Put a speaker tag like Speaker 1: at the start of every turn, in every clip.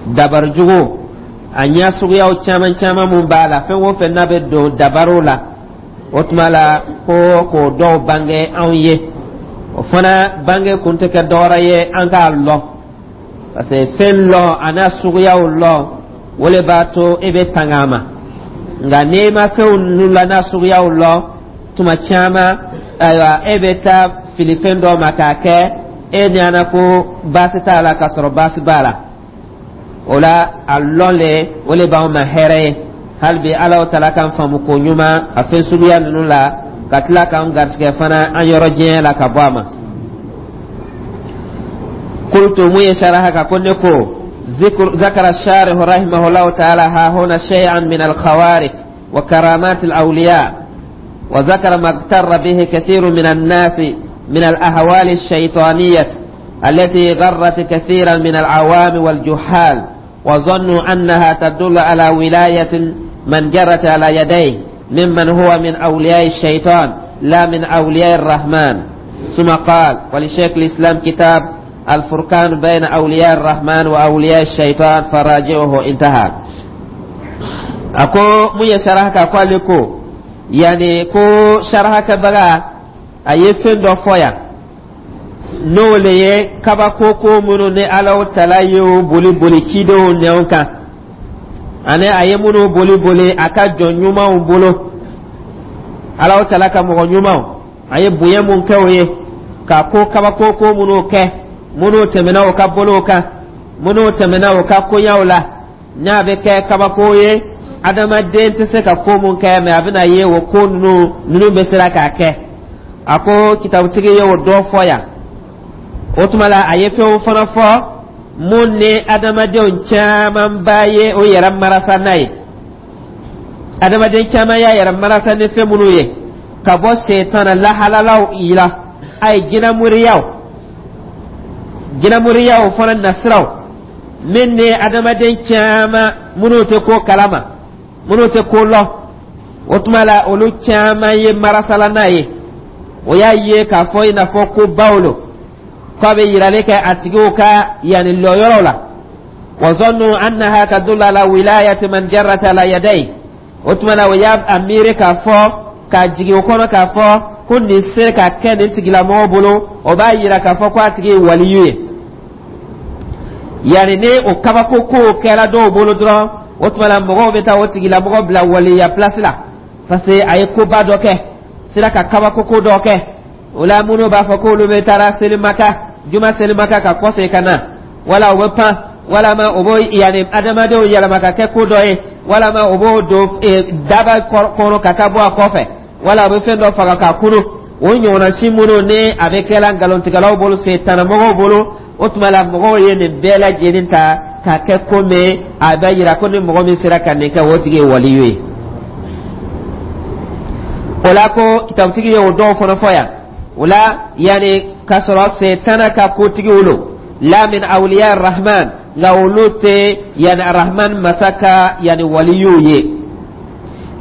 Speaker 1: Dabari jugu a ɲɛ suguyaw caman caman mun b'a la, fɛn o fɛn n'a bɛ don dabariw la, o tuma la ko k'o dɔw bange anw ye. O fana bange kun tɛ kɛ dɔwɛrɛ ye an k'a lɔn, parce que fɛn lɔn a n'a suguyaw lɔn, o le b'a to e bɛ tanga a ma. Nka n'i ma fɛnw ninnu la n'a suguyaw lɔn, tuma caman, ayiwa, e bɛ taa fili fɛn dɔ ma k'a kɛ e ɲɛna ko baasi t'a la, k'a sɔrɔ baasi b'a la. O la, a lɔn le, o le b'anw ma hɛrɛ ye. Hali bi, Ala tala k'an faamu ko ɲuman a fɛn suguya ninnu la, ka tila k'an garisigɛ fana an yɔrɔ diɲɛ la ka bɔ a ma. Qultu, mun ye saraha ka ko ne ko ذكر الشارح رحمه الله تعالى ها هنا شيئا من الخوارق وكرامات الأولياء، وذكر ما اغتر به كثير من الناس من الأهوال الشيطانية التي غرت كثيرا من العوام والجهال، وظنوا أنها تدل على ولاية من جرت على يديه ممن هو من أولياء الشيطان لا من أولياء الرحمن. ثم قال: ولشيخ الإسلام كتاب الفرقان بين أولياء الرحمن وأولياء الشيطان فراجعه. انتهى. Ako mun ye saraha ka ko ale ko yani ko saraha kɛbaga a ye fɛn dɔ fɔ yan, n'o le ye kabako ko minnu ni Alaw tala y'o boli boli cidenw nɛw kan, ani a ye minnu boli boli a ka jɔn ɲumanw bolo, Alaw tala ka mɔgɔ ɲumanw, a ye bonya mun kɛ o ye ka ko kabako ko minnu kɛ, minnu tɛmɛna o ka bolow kan, minnu tɛmɛna o ka koɲaw la, n'a bɛ kɛ kabako ye, adamaden tɛ se ka ko mun kɛ, mɛ a bɛna ye o ko ninnu bɛ sera k'a kɛ. A ko kitabutigi ye o dɔ fɔ yan. O tuma la, a ye fɛnw fana fɔ mun ni adamadenw camanba ye o yɛrɛ marasa n'a ye. Adamaden caman y'a yɛrɛ marasa ni fɛn minnu ye ka bɔ setana lahalalaw la, a ye jinamoriyaw, jinamoriyaw fana nasiraw min ni adamaden caman minnu tɛ ko kalama, minnu tɛ ko lɔn, o tuma la olu caman ye marasala n'a ye. O y'a ye k'a fɔ i n'a fɔ ko baw lo k'a bɛ yirali kɛ a tigiw ka yanni lɔyɔrɔw la. Wa zannu annaha tadullu ala wilayati man jarrat ala yadayhi. O tuma na, o y'a a miiri k'a fɔ k'a jigin o kɔnɔ k'a fɔ ko nin se ka kɛ nin tigilamɔgɔ bolo, o b'a yira k'a fɔ ko a tigi ye waliyu ye. Yanni ni o kabako kow kɛra dɔw bolo dɔrɔn, o tuma na mɔgɔw bɛ taa o tigilamɔgɔ bila waliya place la, parce que a ye koba dɔ kɛ, sera ka kabako ko dɔ kɛ. O la, minnu b'a fɔ k'olu bɛ taara selimaka, juma selimaka, ka kɔsegin ka na, wala u bɛ pan, walama o b'o yanni adamadenw yɛlɛma ka kɛ ko dɔ ye, walama o b'o don daba kɔnɔ ka taa bɔ a kɔfɛ, wala a bɛ fɛn dɔ faga k'a kunu, o ɲɔgɔnna si minnu ni a bɛ kɛla nkalontigɛlaw bolo, setanamɔgɔw bolo. O tuma la, mɔgɔw ye nin bɛɛ lajɛlen ta k'a kɛ komi a bɛ yira ko ni mɔgɔ min sera ka nin kɛ, o tigi ye waliyu ye. O la, ko kitabutigi ye o dɔw fana fɔ yan. O la, yanni k'a sɔrɔ setana ka kotigiw lo, la min awliya rahman, nka olu tɛ yanni Rahman masa ka yanni waliyuw ye.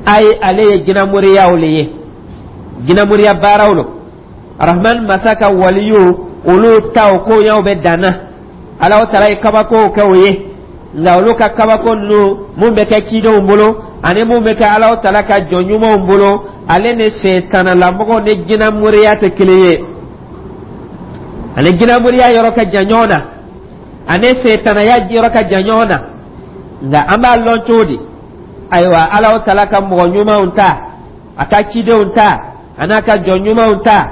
Speaker 1: Ayi, ale ye jinamoriyaw le ye, jinamoriya baaraw lo. Rahman masa ka waliyu, olu taw koɲaw bɛ danna. Alaw tala ye kabakow kɛ o ye, nka olu ka kabako ninnu mun bɛ kɛ cidenw bolo ani mun bɛ kɛ Alaw tala ka jɔn ɲumanw bolo, ale ni setanalamɔgɔw ni jinamoriya tɛ kelen ye. Ani jinamoriya yɔrɔ ka jan ɲɔgɔn na, ani setanaya yɔrɔ ka jan ɲɔgɔn na. Nka an b'a lɔn cogo di? Ayiwa, Alaw tala ka mɔgɔ ɲumanw ta, a ka cidenw ta, a n'a ka jɔn ɲumanw ta,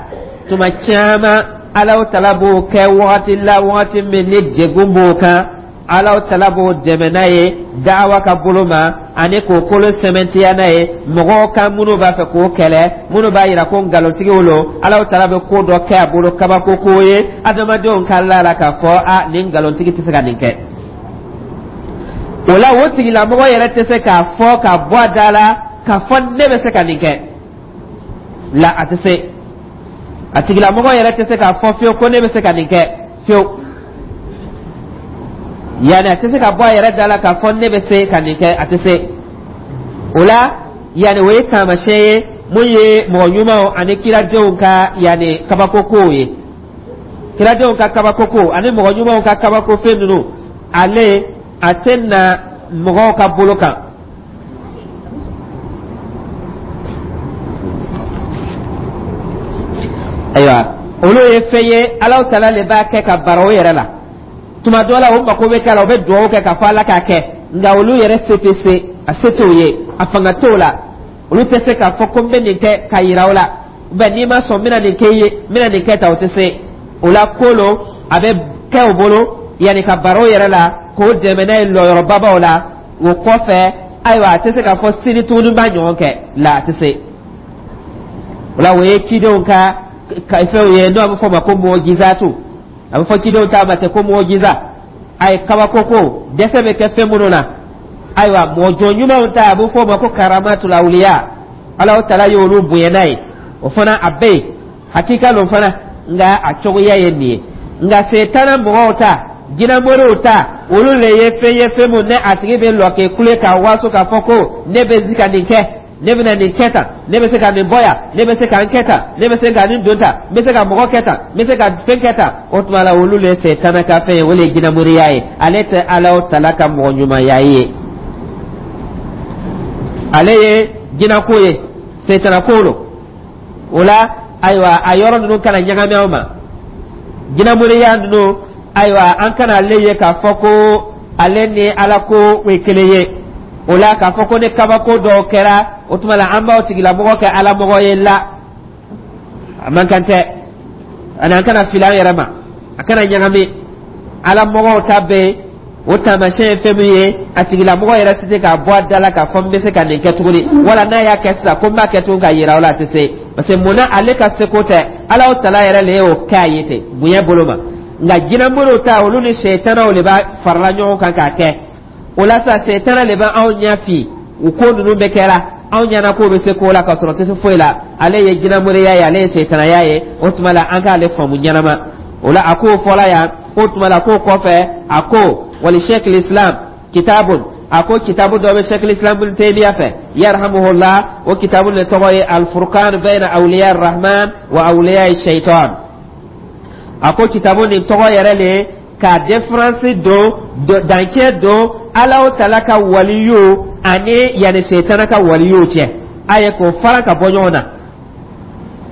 Speaker 1: tuma caman Alaw tala b'o kɛ wagati la, wagati min ni degun b'o kan, Alaw tala b'o dɛmɛ n'a ye dawa ka bolo ma, ani k'o kolo sɛmɛntiya n'a ye mɔgɔw kan minnu b'a fɛ k'o kɛlɛ, minnu b'a yira ko nkalontigiw lo. Alaw tala bɛ ko dɔ kɛ a bolo, kabako ko ye, adamadenw ka la la k'a fɔ a nin nkalontigi tɛ se ka nin kɛ. O la, o tigilamɔgɔ yɛrɛ tɛ se k'a fɔ k'a bɔ a da la k'a fɔ ne bɛ se ka nin kɛ la. A tɛ se, a tigilamɔgɔ yɛrɛ tɛ se k'a fɔ fiyewu ko ne bɛ se ka nin kɛ fiyewu. Yanni a tɛ se ka bɔ a yɛrɛ da la k'a fɔ ne bɛ se ka nin kɛ, a tɛ se o la. Yanni o ye taamasiyɛn ye mun ye mɔgɔ ɲumanw ani kiradenw ka yanni kabako kow ye. Kiradenw ka kabako ko ani mɔgɔ ɲumanw ka kabako fɛn ninnu, ale A tɛ na mɔgɔw ka bolo kan. Ayiwa, olu ye fɛn ye, Alahu Taala le b'a kɛ ka bara o yɛrɛ la. Tuma dɔ la, o mako bɛ k'a la, o bɛ dugawu kɛ k'a fɔ Ala k'a kɛ, nka olu yɛrɛ se tɛ se, a se t'o ye, a fanga t'o la. Olu tɛ se k'a fɔ ko n bɛ nin kɛ ka yira o la, bɛn n'i ma sɔn, n bɛna nin kɛ i ye, n bɛna nin kɛ tan, o tɛ se o la. Ko lo a bɛ kɛ o bolo yanni ka bara o yɛrɛ la k'o dɛmɛ n'a ye lɔyɔrɔbabaw la. O kɔfɛ, ayiwa, a tɛ se k'a fɔ sini tuguni b'a ɲɔgɔn kɛ la, a tɛ se o la. O ye cidenw ka fɛnw ye, n'o a bɛ fɔ o ma ko mɔjizatu. A bɛ fɔ cidenw ta ma ten ko mɔjiza. A ye kabako ko dɛsɛ bɛ kɛ fɛn minnu na. Ayiwa, mɔgɔ jɔn ɲumanw ta, a bɛ fɔ o ma ko karamatul awliya. Alahu Taala y'olu bonya n'a ye, o fana a bɛ yen, hakika lo fana, nka a cogoya ye nin ye. Nka setana mɔgɔw ta, jinɛmoriw ta, olu le ye fɛn ye, fɛn mun ne a tigi bɛ lɔ k'e kule k'a waso k'a fɔ ko ne bɛ se ka nin kɛ, ne bɛna nin kɛ tan, ne bɛ se ka nin bɔ yan, ne bɛ se ka n kɛ tan, ne bɛ se ka nin don tan, n bɛ se ka mɔgɔ kɛ tan, n bɛ se ka fɛn kɛ tan. O tuma la, olu le ye setana ka fɛn ye, o le ye jinɛmoriya ye. Ale tɛ Alahu Taala ka mɔgɔ ɲumanya ye, ale ye jinɛko ye, setana ko lo. O la, ayiwa, a yɔrɔ ninnu kana ɲagami aw ma. Jinɛmoriya ninnu, ayiwa, an kana ale ye k'a fɔ ko ale ni Ala ko ye kelen ye. O la, k'a fɔ ko ni kabako dɔw kɛra, o tuma la an b'aw tigilamɔgɔ kɛ alamɔgɔ ye la, a man kan tɛ. Ani an kana fili an yɛrɛ ma, a kana ɲagami. Alamɔgɔw ta bɛ yen, o taamasiyɛn ye fɛn min ye, a tigilamɔgɔ yɛrɛ tɛ se k'a bɔ a da la k'a fɔ n bɛ se ka nin kɛ tuguni, wala n'a y'a kɛ sisan ko n b'a kɛ tuguni ka yira o la, a tɛ se. Parce que munna? Ale ka seko tɛ, Alahu Taala yɛrɛ le y'o kɛ a ye ten bonya bolo ma. Nka jinɛmoriw ta, olu ni sɛtanaw de b'a farala ɲɔgɔn kan k'a kɛ. O la sa, sɛtana de bɛ anw ɲɛ fi u ko ninnu bɛ kɛra anw ɲɛna k'o bɛ se ko la, k'a sɔrɔ tɛ se foyi la. Ale ye jinɛmoriya ye, ale ye sɛtanaya ye. O tuma la, an k'ale faamu ɲɛnama. O la, a k'o fɔla yan. O tuma la, k'o kɔfɛ, a ko wali sheikh islam kitabun, a ko kitabu dɔ bɛ sheikh islam bin Taymiya fɛ, yarhamuhullah. O kitabu de tɔgɔ ye alfurqan bayna awliya rahman wa awliya shaitan. A ko kitabu nin tɔgɔ yɛrɛ le ka différence don, dancɛ don Alahu Taala ka waliyu ani yanni setana ka waliyu cɛ, a ye k'o fara ka bɔ ɲɔgɔn na.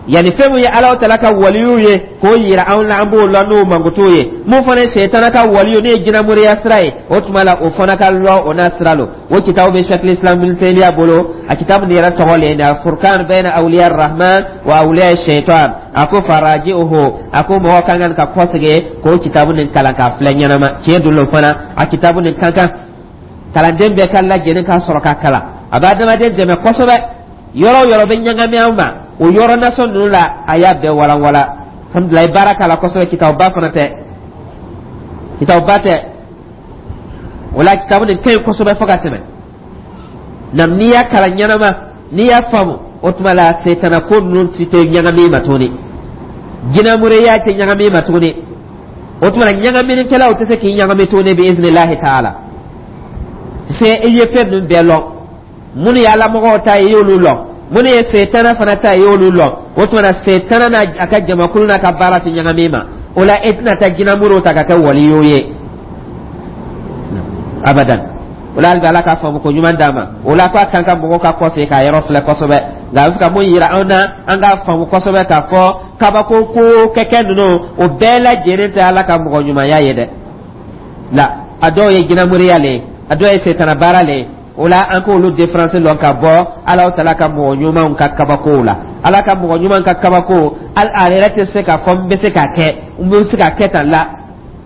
Speaker 1: Yanni fɛn min ye Alahu Taala ka waliyu ye, k'o yira anw na, an b'o lɔn n'o mankutu ye. Mun fana ye setana ka waliyu, n'o ye jinɛmoriya sira ye, o tuma la o fana ka lɔn o n'a sira lo. O kitabu bɛ Sheikh Islam bin Taymiya bolo. A kitabu nin yɛrɛ tɔgɔ le ye furkan bayna awliya rahman wa awliya shaitan. A ko faraji'uhu, a ko mɔgɔ ka kan ka kɔsegin k'o kitabu nin kalan k'a filɛ ɲɛnama. Tiɲɛ don lo fana, a kitabu nin ka kan kalanden bɛɛ ka lajɛlen k'a sɔrɔ k'a kalan. A bɛ adamaden dɛmɛ kosɛbɛ. Yɔrɔ o yɔrɔ bɛ ɲagami anw ma, o yɔrɔ nasɔn ninnu la, a y'a bɛɛ walanwala. Alhamdulilayi, baara k'a la kosɛbɛ. Kitabuba fana tɛ, kitabuba tɛ. O la, kitabu nin ka ɲi kosɛbɛ fo ka tɛmɛ. Nam n'i y'a kalan ɲɛnama, n'i y'a faamu, o tuma la setana ko ninnu si tɛ ɲagami ma tuguni, jinɛmoriya tɛ ɲagami ma tuguni. O tuma la, ɲagaminikɛlaw tɛ se k'i ɲagami tuguni bi iznillahi taala. Se i ye fɛn ninnu bɛɛ lɔn. Minnu ye alamɔgɔw ta ye, i y'olu lɔn. Minnu ye setana fana ta ye, i y'olu lɔn. O tuma na, setana n'a a ka jamakulu n'a ka baara tɛ ɲagami ma. O la, e tɛna taa jinɛmoriw ta ka kɛ waliyu ye abadan. O la, hali bi, Ala k'a faamu ko ɲuman d'a ma. O la, ko a kan ka mɔgɔw ka kɔsegin k'a yɔrɔ filɛ kosɛbɛ. Nka a bɛ fɛ ka mun yira anw na, an k'a faamu kosɛbɛ k'a fɔ kabako ko kɛkɛ ninnu, o bɛɛ lajɛlen tɛ Ala ka mɔgɔ ɲumanya ye dɛ. La, a dɔw ye jinɛmoriya le ye, a dɔw ye setana baara le ye. O la, an k'olu différence lɔn ka bɔ Alahu Taala ka mɔgɔ ɲumanw ka kabakow la. Ala ka mɔgɔ ɲuman ka kabako, ale yɛrɛ tɛ se k'a fɔ n bɛ se k'a kɛ, n bɛ se k'a kɛ tan la.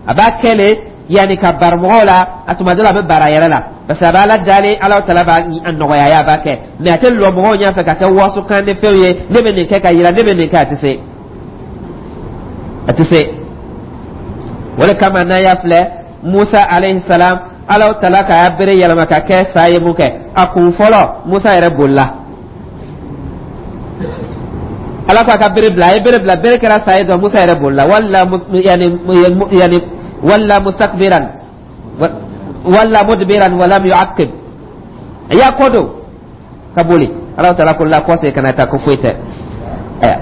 Speaker 1: A b'a kɛ le yanni ka bari mɔgɔw la. A tuma dɔ la, a bɛ bara yɛrɛ la, parce que a bɛ Ala dali, Alahu Taala b'a nɔgɔya ye, a b'a kɛ. Mais a tɛ lɔ mɔgɔw ɲɛfɛ ka kɛ waso kan ni fɛnw ye, ne bɛ nin kɛ ka yira, ne bɛ nin kɛ, a tɛ se, a tɛ se. O de kama, n'a y'a filɛ, Musa alayhi salam, Alahu Taala ka y'a bere yɛlɛma ka kɛ sa ye mun kɛ, a kun fɔlɔ, Musa yɛrɛ bolila. Ala ko a ka bere bila, a ye bere bila, bere kɛra sa ye dɔrɔn, Musa yɛrɛ bolila. Wala yani wala mustakbiran wala mudbiran walam yu'aqib, a y'a kɔ don ka boli. Alahu Taala ko la, kɔsegin kana taa, ko foyi tɛ.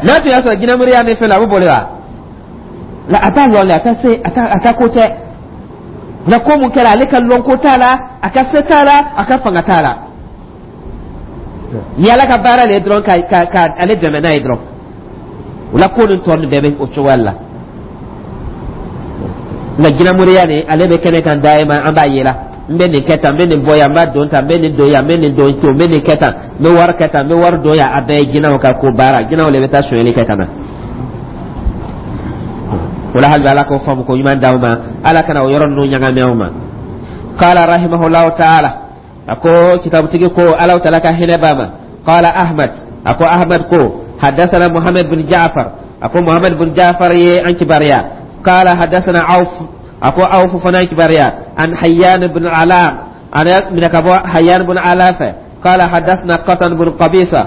Speaker 1: N'a tun y'a sɔrɔ jinɛmoriya ni fɛn la, a bɛ boli wa? La, a t'a lɔn le, a t'a se, a t'a ko tɛ. Nka ko mun kɛra, ale ka lɔnko t'a la, a ka se t'a la, a ka fanga t'a la. Ni Ala ka baara le ye dɔrɔn ka ale dɛmɛ n'a ye dɔrɔn. O la, ko nin tɔ nin bɛɛ bɛ o cogoya la. Nka jinɛmoriya nin, ale bɛ kɛnɛ kan dayima, an b'a ye la. N bɛ nin kɛ tan, n bɛ nin bɔ yan, n b'a don tan, n bɛ nin don yan, n bɛ nin don to, n bɛ nin kɛ tan, n bɛ wari kɛ tan, n bɛ wari don yan. A bɛɛ ye jinɛw ka ko baara. Jinɛw de bɛ taa sonyɛli kɛ ka na o la. Hali bi, Ala k'o faamu ko ɲuman d'aw ma, Ala kana o yɔrɔ ninnu ɲagami aw ma. Qala rahimahullahu taala, a ko kitabutigi ko Ala taala ka hinɛ b'a ma. Qala Ahmad, a ko Ahmad ko hadathana Muhammad bin Ja'far, a ko Muhammad bin Ja'far ye an kibariya. Qala hadathana Auf, a ko Auf fana kibariya. An Hayyan bin Alam, ana min ka bɔ Hayyan bin Ala fɛ. Qala hadathana Qatan bin Qabisa,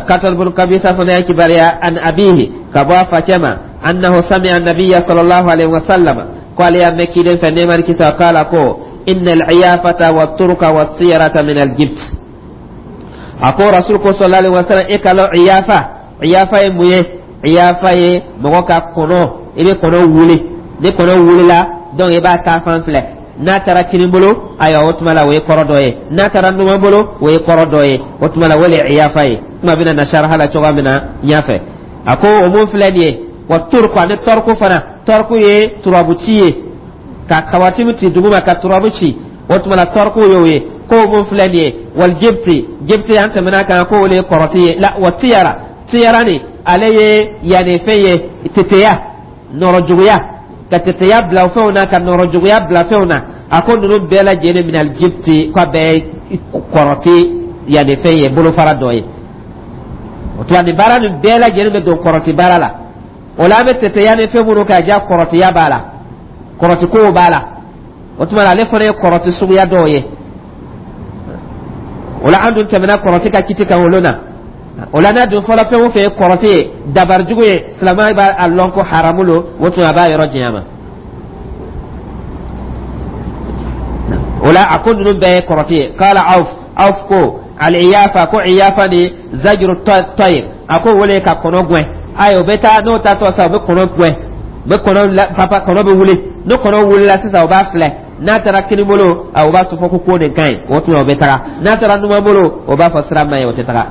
Speaker 1: Qatan bin Qabisa fana kibariya. An abihi, ka bɔ a facɛ ma. Annahu sami'a nabiyya sallallahu alaihi wasallam, ko ale y'a mɛn kiden fɛ, nɛɛma ni kisi, qala ko inna al-iyafata wa turka wa tiyarata min al-jibt. A ko Rasul ko sallallahu alaihi wasallam, e ka lɔ iyafa. Iyafa ye mun ye? Iyafa ye mɔgɔ ka kɔnɔ, i bɛ kɔnɔ wuli. Ni kɔnɔ wulila donc, i b'a taa fan filɛ. N'a taara kini bolo, ayiwa, o tuma la o ye kɔrɔ dɔ ye. N'a taara numan bolo, o ye kɔrɔ dɔ ye. O tuma la, o le ye iyafa ye. Kuma bɛna na saraha la cogoya min na ɲɛfɛ. A ko o mun filɛ nin ye, wa turku, ani tɔrku fana. Tɔrku ye turabu ci ye, ka kawatimu ci duguma, ka turabu ci. O tuma la, tɔrku ye o ye. Ko o mun filɛ nin ye, wal jibti. Jibti, an tɛmɛna kan ko o le ye kɔrɔti ye la. Wa tiyara, tiyara ni ale ye yanni fɛn ye, teteya, nɔrɔ juguya, ka teteya bila fɛnw na, ka nɔrɔ juguya bila fɛnw na. A ko ninnu bɛɛ lajɛlen minal jibti, k'a bɛɛ ye kɔrɔti yanni fɛn ye, bolofara dɔ ye. O tuma, nin baara nin bɛɛ lajɛlen bɛ don kɔrɔti baara la. O la, an bɛ teteya ni fɛn minnu k'a ja, kɔrɔtiya b'a la, kɔrɔtikow b'a la. O tuma la, ale fana ye kɔrɔti suguya dɔw ye. O la, an dun tɛmɛna kɔrɔti ka kiti kan olu na. O la, n'a dun fɔlɔ, fɛn o fɛn ye kɔrɔti ye, dabarijugu ye, silamɛya b'a lɔn ko haramu lo. O tuma, a b'a yɔrɔ janya ma. O la, a ko ninnu bɛɛ ye kɔrɔti ye. Kala Awf, Awf ko al-iyafa, ko iyafa ni zajru tayr, a ko wele ka kɔnɔ gɛn. Ayi, o bɛ taa n'o taatɔ sa, o bɛ kɔnɔ gɛn, u bɛ kɔnɔ papa, kɔnɔ bɛ wuli. Ni kɔnɔ wulila sisan, o b'a filɛ. N'a taara kini bolo, o b'a fɔ ko nin ka ɲi, o tuma o bɛ taga. N'a taara numan bolo, o b'a fɔ sira man ɲi, o tɛ taga.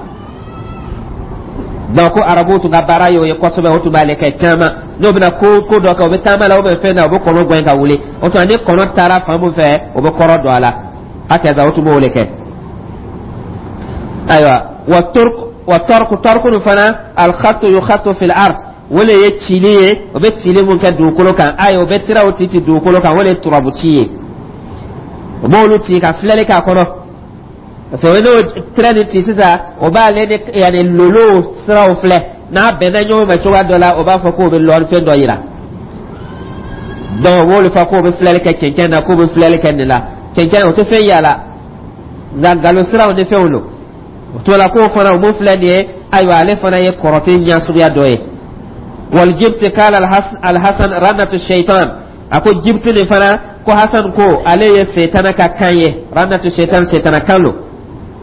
Speaker 1: Donc ko arabuw tun ka baara ye o ye kosɛbɛ. O tun b'ale kɛ caman. N'o bɛna ko dɔ kɛ, o bɛ taama la, o bɛ fɛn na, o bɛ kɔnɔ gɛn ka wuli. O tuma, ni kɔnɔ taara fan min fɛ, o bɛ kɔrɔ don a la. Hakaza, o tun b'o de kɛ. Ayiwa, wa turk wa tɔrku, tɔrku nin fana, alkhatu yukhatu fil ard, o le ye cili ye, o bɛ cili mun kɛ dugukolo kan. Ayi, o bɛ tiraw ci ci dugukolo kan, o le ye turabu ci ye. O b'olu ci ka filɛli k'a kɔnɔ, parce que n'o tira nin ci sisan, o b'ale ni yanni lolo siraw filɛ. N'a bɛnna ɲɔgɔn ma cogoya dɔ la, o b'a fɔ k'o bɛ lɔri fɛn dɔ yira. Donc o b'olu fɔ k'o bɛ filɛli kɛ cɛncɛn na, k'o bɛ filɛli kɛ nin la. Cɛncɛn o tɛ fɛn y'a la, nka nkalon siraw ni fɛnw don. O tuma la, k'o fana o mun filɛ nin ye, ayiwa, ale fana ye kɔrɔtɛ ɲɛ suguya dɔ ye. Wal jibti, kala Alhasan ranatu shaitan, a ko jibti nin fana, ko Hasan ko ale ye setana ka kan ye. Ranatu shaitan, setana kan lo.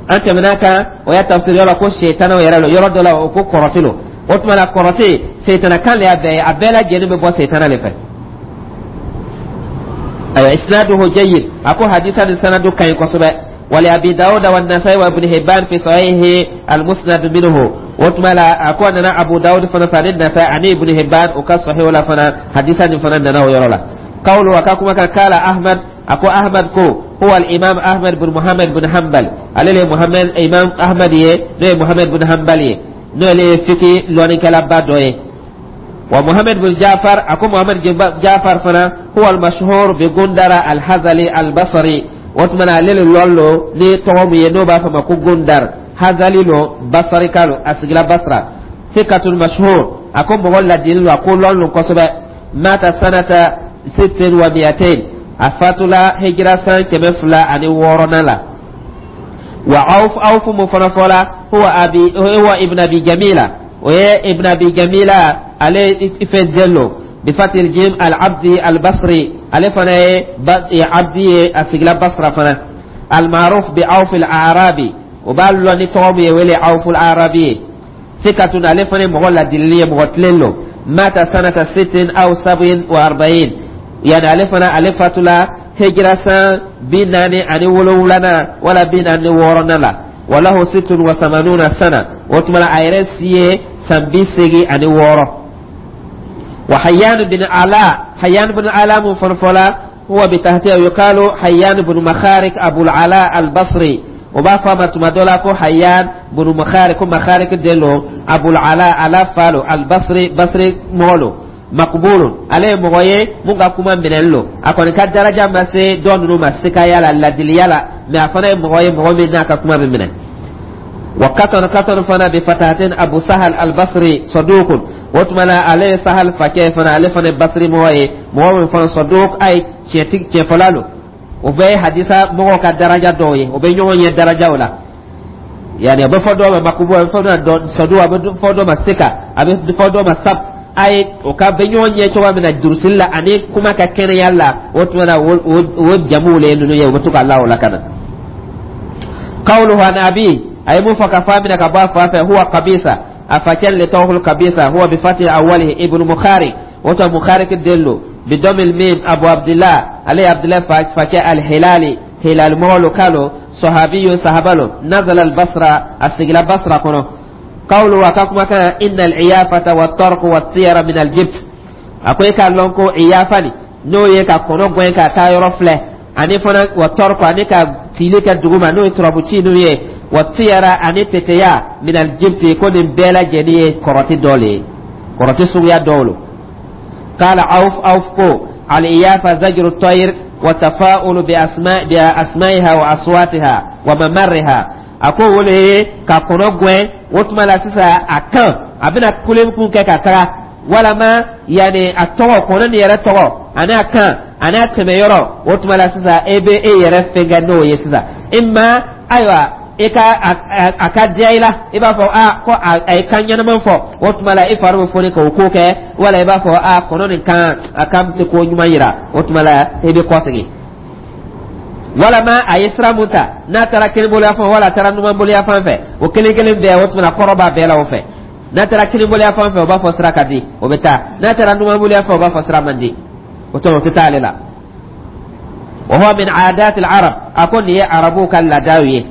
Speaker 1: An tɛmɛna kan o y'a tafsiri yɔrɔ ko setanaw yɛrɛ lo. Yɔrɔ dɔ la, o ko kɔrɔti lo. O tuma la, kɔrɔti, setana kan le y'a bɛɛ ye. A bɛɛ lajɛlen bɛ bɔ setana de fɛ. Ayiwa, isnaduhu jayyid, a ko hadisa nin sanadu ka ɲi kosɛbɛ. Wali Abi Dawuda wa Nasai wa Ibn Hibban fi sahihi al-musnad minhu. O tuma la, a ko a nana Abu Dawud fana fɛ, ani Nasai ani Ibn Hibban, o ka sahihu la fana, hadisa nin fana nana o yɔrɔ la. Qawlu, a ka kuma kan, kala Ahmad, a ko Ahmad ko huwa al-imam Ahmad bin Muhammad bin Hanbal, ale le Muhammad imam Ahmad ye, n'o ye Muhammad bin Hanbal ye, n'o le ye fiki lɔnnikɛlaba dɔ ye. Wa Muhammad bin Jafar, a ko Muhammad Jafar fana, huwa al-mashhur bi Gundara al-Hazali al-Basri. O tuma na, ale le lɔn lo ni tɔgɔ min ye, n'o b'a fɔ ma ko Gundar Hazali lo, Basarika lo, a sigila Basra. Sikatun mashhur, a ko mɔgɔ ladili lo, a ko lɔn lo kosɛbɛ. Mata sanata 260, a fatula hijira san 206nan la. Wa Awf, Awf mun fana fɔla, huwa ibn Abi Jamila, o ye ibn Abi Jamila ale fɛn den lo, bifatil jim, al Abdi al Basri, ale fana ye Abdi ye, a sigila Basra fana. Al ma'ruf bi Awf al Arabi, o b'a lɔn ni tɔgɔ min ye, wele Awf al Arabi ye. Sikatun, ale fana ye mɔgɔ ladilili ye, mɔgɔ tilen lo. Mata sanata 46, yani ale fana, ale fatula. Hijira san 47nan wala 46nan la. Walahu 86 sana, o tuma la a yɛrɛ si ye san 86. Wa Hayyan bin Ala, Hayyan bin Ala mun fana fɔla, huwa bitahtiha yuqalu Hayyan bin Makharik Abu Ala al-Basri. O b'a fɔ a ma tuma dɔ la ko Hayyan bin Makharik, ko Makharik den lo, Abu Ala, Ala fa lo, al-Basri, Basri mɔgɔ lo. Makbulun, ale ye mɔgɔ ye mun ka kuma minɛli lo. A kɔni ka daraja ma se dɔ ninnu ma sikaya la, ladiliya la, mais a fana ye mɔgɔ ye, mɔgɔ min n'a ka kuma bɛ minɛ. Wa Katɔn, Katɔn fana bi fatahatin, Abu Sahal al-Basri, sadukun. O tuma la ale ye Sahal fakɛ fana, ale fana ye Basri mɔgɔ ye, mɔgɔ min fana saduk, a ye tiɲɛtigi, tiɲɛfɔla lo. O bɛɛ ye hadisa mɔgɔw ka daraja dɔw ye, o bɛ ɲɔgɔn ɲɛ darajaw la. Yani a bɛ fɔ dɔw ma makubu, a bɛ fɔ dɔw ma sadu, a bɛ fɔ dɔw ma sika, a bɛ fɔ dɔw ma sabt. A ye o ka bɛ ɲɔgɔn ɲɛ cogoya min na durusili la ani kuma ka kɛnɛya la, o tuma na o jamuw le ye ninnu ye, u bɛ to ka la o la ka na. Qawluhu an abi, a ye mun fɔ ka fɔ a minɛ ka bɔ a fa fɛ, huwa Qabisa, a facɛ le tɔgɔ Kabisa. Huwa bi fati awwalihi ibnu Mukhari, o tɔ Mukhari den lo, bi damil mim, Abu Abdillah, ale ye Abdillah facɛ, al-Hilali, Hilal mɔgɔ lo kalo, sahabiyu, sahaba lo. Nazala al-Basra, a sigila Basra kɔnɔ. Qawlu, a ka kumakan, inna al-iyafata wa tarq wa tiyara min al-jibt. A ko e k'a lɔn ko iyafa ni n'o ye ka kɔnɔ gɛn ka taa yɔrɔ filɛ, ani fana wa tarq, ani ka tili kɛ duguma n'o ye turabu ci ninnu ye, wa tiyara, ani teteya, min al-jibti, ko nin bɛɛ lajɛlen ye kɔrɔti dɔ le ye, kɔrɔti suguya dɔw lo. Qala Awf, Awf ko al-iyafa zajru tayr wa tafa'ulu bi asma bi asma'iha wa aswatiha wa mamarriha. A ko o le ye ka kɔnɔ gɛn, o tuma la sisan a kan a bɛna kule kun kɛ ka taga, walama yanni a tɔgɔ, kɔnɔ nin yɛrɛ tɔgɔ ani a kan ani a tɛmɛ yɔrɔ. O tuma la sisan e bɛ e yɛrɛ fɛn kɛ n'o ye sisan, imma ayiwa i ka a ka diya i la, i b'a fɔ a ko a ye kan ɲɛnama fɔ, o tuma la i fari bɛ foni k'o ko kɛ, wala i b'a fɔ a kɔnɔ nin kan, a kan tɛ ko ɲuman yira, o tuma la i bɛ kɔsegin. Walama a ye sira mun ta, n'a taara kinibolo fan wala a taara numanbolo fan fɛ, o kelen kelen bɛɛ, o tuma na kɔrɔ b'a bɛɛ la o fɛ. N'a taara kinibolo fan fɛ, o b'a fɔ sira ka di, o bɛ taa. N'a taara numanbolo fɛ, o b'a fɔ sira man di, o tuma o tɛ taa ale la. Wa huwa min aadati al-arab, a ko nin ye arabuw ka laadaw ye.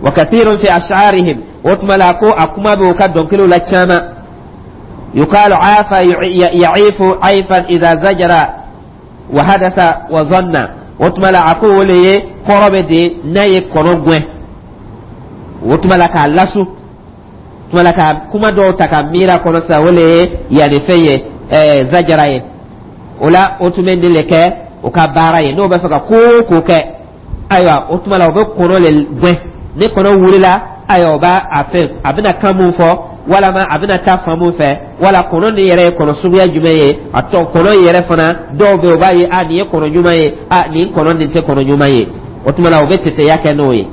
Speaker 1: Wa kathirun fi ash'arihim, o tuma la ko a kuma bɛ u ka dɔnkiliw la caman. Yuqalu afa ya'ifu ayfan idha zajara wa hadatha wa zanna. O tuma la a ko o le ye kɔrɔ bɛ de n'a ye kɔnɔ gɛn, o tuma la k'a lasu, tuma la ka kuma dɔw ta ka miiri a kɔnɔ sisan, o le ye yanni fɛn ye zajara ye. O la o tun bɛ nin le kɛ o ka baara ye, n'o bɛ fɛ ka ko o ko kɛ, ayiwa, o tuma la o bɛ kɔnɔ le gɛn. Ni kɔnɔ wulila, ayiwa, o b'a a fɛn, a bɛna kan mun fɔ, walama a bɛna taa fan mun fɛ, wala kɔnɔ nin yɛrɛ ye kɔnɔ suguya jumɛn ye. A tɔ kɔnɔ yɛrɛ fana dɔw bɛ yen, o b'a ye a nin ye kɔnɔ ɲuman ye, a nin kɔnɔ nin tɛ kɔnɔ ɲuman ye. O tuma la o bɛ teteya kɛ n'o ye,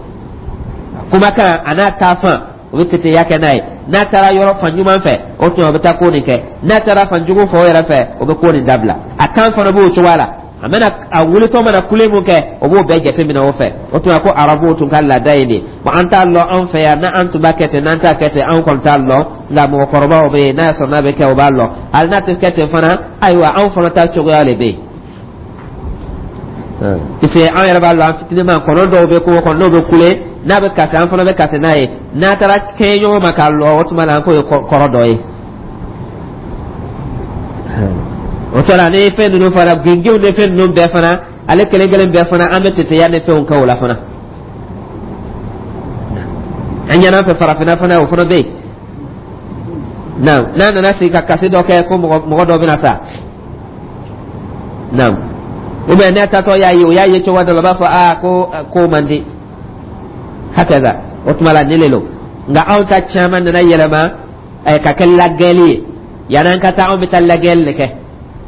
Speaker 1: kumakan a n'a taafan, o bɛ teteya kɛ n'a ye. N'a taara yɔrɔ fan ɲuman fɛ, o tuma o bɛ taa ko nin kɛ. N'a taara fan jugu fɛ, o yɛrɛ fɛ, o bɛ ko nin dabila. A kan fana b'o cogoya la, a mana a wulitɔ mana kule mun kɛ, o b'o bɛɛ jateminɛ o fɛ. O tuma ko arabuw tun ka laada ye nin. Bon, an t'a lɔn anw fɛ yan n'an tun b'a kɛ ten, n'an t'a kɛ ten, anw kɔni t'a lɔn. Nka mɔgɔkɔrɔbaw bɛ yen, n'a y'a sɔrɔ n'a bɛ kɛ, o b'a lɔn. Hali n'a tɛ kɛ ten fana, ayiwa, anw fana ta cogoya de bɛ yen, parce que an yɛrɛ b'a lɔn, an fitinin kɔnɔ dɔw bɛ kungo kɔnɔ, n'o bɛ kule, n'a bɛ kasi, an fana bɛ kasi n'a ye. N'a taara kɛɲɛ ɲɔgɔn ma k'a lɔ, o tuma la an k'o ye kɔrɔ dɔ ye. O tora ni fɛn ninnu fana, gengenw ni fɛn ninnu bɛɛ fana, ale kelen kelen bɛɛ fana, an bɛ teteya ni fɛnw kɛ o la fana. An ɲɛna fɛ farafinna fana, o fana bɛ yen. Naam, n'a nana sigi ka kasi dɔ kɛ ko mɔgɔ dɔ bɛna sa, naam, ou bien ne tatɔ y'a ye, o y'a ye cogo dɔ la, o b'a fɔ aa ko ko man di, hakaza. O tuma la nin le lo. Nka anw ta caman nana yɛlɛma ka kɛ lagɛli ye. Yanni an ka taa, anw bɛ taa lagɛli de kɛ,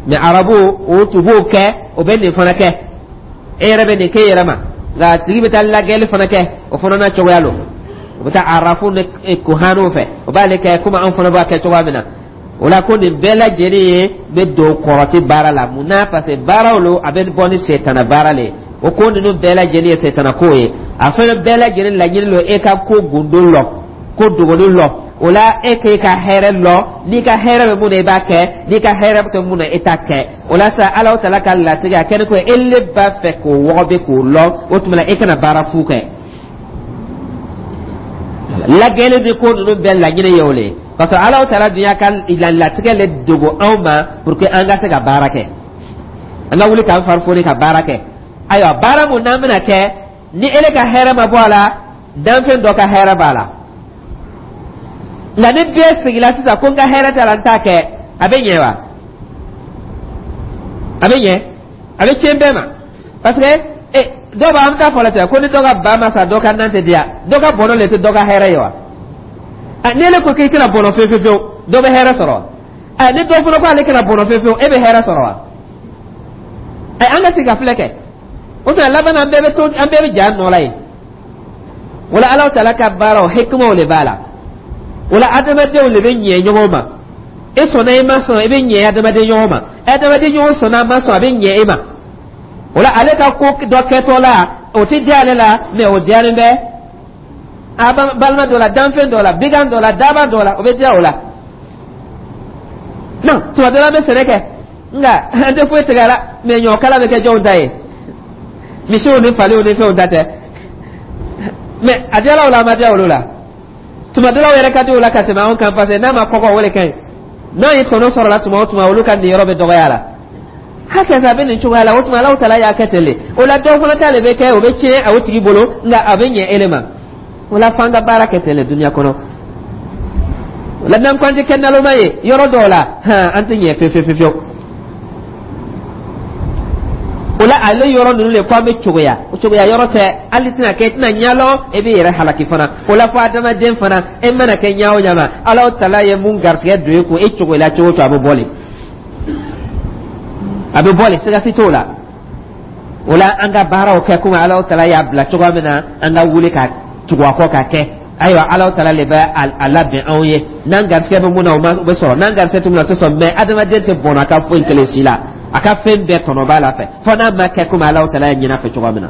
Speaker 1: mais arabu o tun b'o kɛ, o bɛ nin fana kɛ. E yɛrɛ bɛ nin kɛ e yɛrɛ ma, nka a tigi bɛ taa lagɛli fana kɛ, o fana n'a cogoya lo. O bɛ taa arafu ni kuhaniw fɛ, o b'ale kɛ komi anw fana b'a kɛ cogoya min na. O la ko nin bɛɛ lajɛlen ye bɛ don kɔrɔti baara la. Mun na? Parce que baaraw lo, a bɛ bɔ ni setana baara le ye. O ko ninnu bɛɛ lajɛlen ye setana ko ye. A fana bɛɛ lajɛlen laɲini lo e ka ko gundo lɔ, ko dogoni lɔ. O la, e k'e ka hɛrɛ lɔ. N'i ka hɛrɛ bɛ mun na, i b'a kɛ. N'i ka hɛrɛ tɛ mun na, e t'a kɛ. O la sa, Ala tala ka latigɛ a kɛni ko e le b'a fɛ k'o wɔgɔbɛ k'o lɔ. O tuma la, e kana baara fu kɛ. Lagɛli ni ko ninnu bɛɛ laɲini ye o le ye, parce que Ala tala dun y'a ka latigɛ le dogo anw ma pour que an ka se ka baara kɛ, an ka wuli k'an fari foni ka baara kɛ. Ayiwa, baara mun n'an bɛna kɛ, ni ele ka hɛrɛ ma bɔ a la, danfɛn dɔ ka hɛrɛ b'a la. Nka ni bɛɛ sigila sisan ko n ka hɛrɛ t'a la, n t'a kɛ, a bɛ ɲɛ wa? A bɛ ɲɛ? A bɛ tiɲɛ bɛɛ ma, parce que e dɔw b'a, an bɛ taa fɔ la ten ko ni dɔ ka ba ma sa, dɔ ka nan tɛ diya. Dɔ ka bɔnɔ le tɛ dɔ ka hɛrɛ ye wa? Ni ele ko k'i tɛna bɔnɔ fewu fewu fewu, dɔ bɛ hɛrɛ sɔrɔ wa? Ni dɔ fana ko ale kana bɔnɔ fewu fewu, e bɛ hɛrɛ sɔrɔ wa? An ka sigi ka filɛ kɛ. O tuma laban na, an bɛɛ bɛ to, an bɛɛ bɛ ja nɔ la yen. Wala Ala taala ka baaraw, hikimaw de b'a la. Wala adamadenw de bɛ ɲɛ ɲɔgɔn ma. E sɔnna, i ma sɔn, i bɛ ɲɛ adamaden ɲɔgɔn ma. Adamaden ɲɔgɔn sɔnna, a ma sɔn, a bɛ ɲɛ e ma. O la, ale ka ko dɔ kɛtɔ la, o tɛ diya ale la, mɛ o diyalen bɛ a balima dɔ la, danfɛn dɔ la, bigan dɔ la, daba dɔ la, o bɛ diya o la. Non, tuma dɔ la, an bɛ sɛnɛ kɛ, nka an tɛ foyi tigɛ a la, mɛ ɲɔkala bɛ kɛ jɔnw ta ye? Misiw ni faliw ni fɛnw ta tɛ. Mɛ a diyala o la, a ma diya olu la. Tuma dɔ la, o yɛrɛ ka di o la ka tɛmɛ anw kan, parce que n'a ma kɔgɔ, o de ka ɲi. N'a ye tɔnɔ sɔrɔ la tuma o tuma, olu ka niyɔrɔ bɛ dɔgɔya la. Hakɛ a bɛ nin cogoya la. O tuma, Ala taala y'a kɛ ten de. O la, dɔw fana ta de bɛ kɛ, o bɛ tiɲɛ a o tigi bolo, nka a bɛ ɲɛ ele ma. O la, f'an ka baara kɛ ten de dunuya kɔnɔ. O la, n'an ko an tɛ kɛ naloma ye yɔrɔ dɔw la, hɔn, an tɛ ɲɛ fewu fewu fewu. O la, ale yɔrɔ ninnu de ko an bɛ cogoya, o cogoya yɔrɔ tɛ. Hali tɛna kɛ, i tɛna ɲɛlɔn, e b'i yɛrɛ halaki fana. O la, fo adamaden fana, e mana kɛ ɲɛ o ɲɛ ma, Ala tala ye mun garisigɛ don e kun, e cogoya cogo o cogo, a bɛ bɔ le, a bɛ bɔ le, siga si t'o la. O la, an ka baaraw kɛ komi Ala tala y'a bila cogoya min na, an ka wuli ka tugu a kɔ ka kɛ. Ayiwa, Ala tala de bɛ a labɛn anw ye. N'an garisigɛ bɛ mun na, o bɛ sɔrɔ. N'an garisigɛ tɛ mun na, o tɛ sɔrɔ. Mɛ adamaden tɛ bɔnna a ka foyi kelen si la. A ka fɛn bɛɛ tɔnɔ b'a la fɛ, fo n'a ma kɛ komi Ala tala y'a ɲin'a fɛ cogoya min na.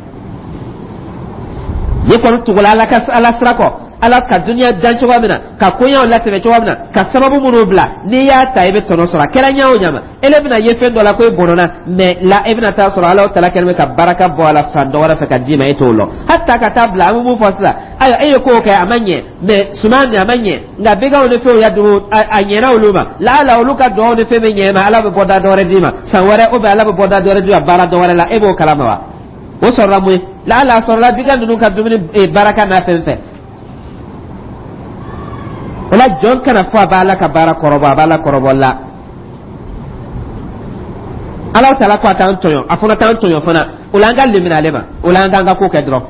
Speaker 1: Ni kɔni tugula Ala ka Ala sira kɔ, Ala ka duniya dan cogoya min na, ka koɲaw latɛmɛ cogoya min na, ka sababu minnu bila, n'i y'a ta, i bɛ tɔnɔ sɔrɔ. A kɛra ɲɛ o ɲɛ ma, ele bɛna ye fɛn dɔ la ko e bɔnɔna, mɛ la, e bɛna taa sɔrɔ Ala tala kɛlen bɛ ka baraka bɔ a la fan dɔ wɛrɛ fɛ ka d'i ma, e t'o lɔn. Hata ka taa bila, an bɛ mun fɔ sisan? Ayiwa, e ye ko kɛ, a ma ɲɛ, mɛ suman nin a ma ɲɛ, nka biganw ni fɛnw ya dugu, a ɲɛna olu ma. Laala olu ka dugawu ni fɛn bɛ ɲɛ ma, Ala bɛ bɔda dɔ wɛrɛ d'i ma san wɛrɛ, ou bien Ala bɛ bɔda dɔ wɛrɛ d'i ma baara dɔ wɛrɛ la. E b'o kalama wa? O sɔrɔla mun ye? Laala a sɔrɔla bigan ninnu ka dumuni baraka n'a fɛn fɛn. O la, jɔn kana fɔ a b'Ala ka baara kɔrɔbɔ. A b'Ala kɔrɔbɔ la. Ala taala ko a t'an tɔɲɔ, a fana t'an tɔɲɔ fana. O la, an ka lemina ale ma. O la, an k'an ka ko kɛ dɔrɔn.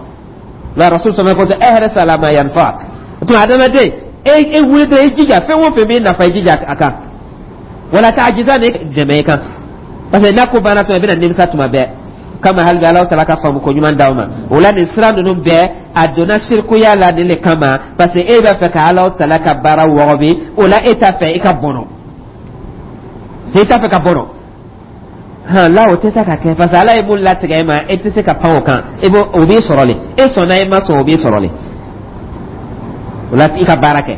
Speaker 1: La rasul sɔrɔ ko ihris ala ma yanfa'ak. O tuma, adamaden, e wuli dɔrɔn, e jija fɛn o fɛn b'i nafa, i jija a kan. Wala ta'jizan dɛmɛ i kan, parce que n'a ko banna tuma, i bɛna nimisa tuma bɛɛ. Kama hali bi, Ala taala ka faamu ko ɲuman d'aw ma. O la, nin sira ninnu bɛɛ a donna sirikuya la nin de kama, parce que e b'a fɛ ka Ala taala ka baara wɔgɔbi. O la, e t'a fɛ i ka bɔnɔ, e t'a fɛ ka bɔnɔ. Hɔn, la, o tɛ se ka kɛ, parce que Ala ye mun latigɛ e ma, e tɛ se ka pan o kan. E b'o, o b'i sɔrɔ le. E sɔnna, e ma sɔn, o b'i sɔrɔ le. O la, i ka baara kɛ.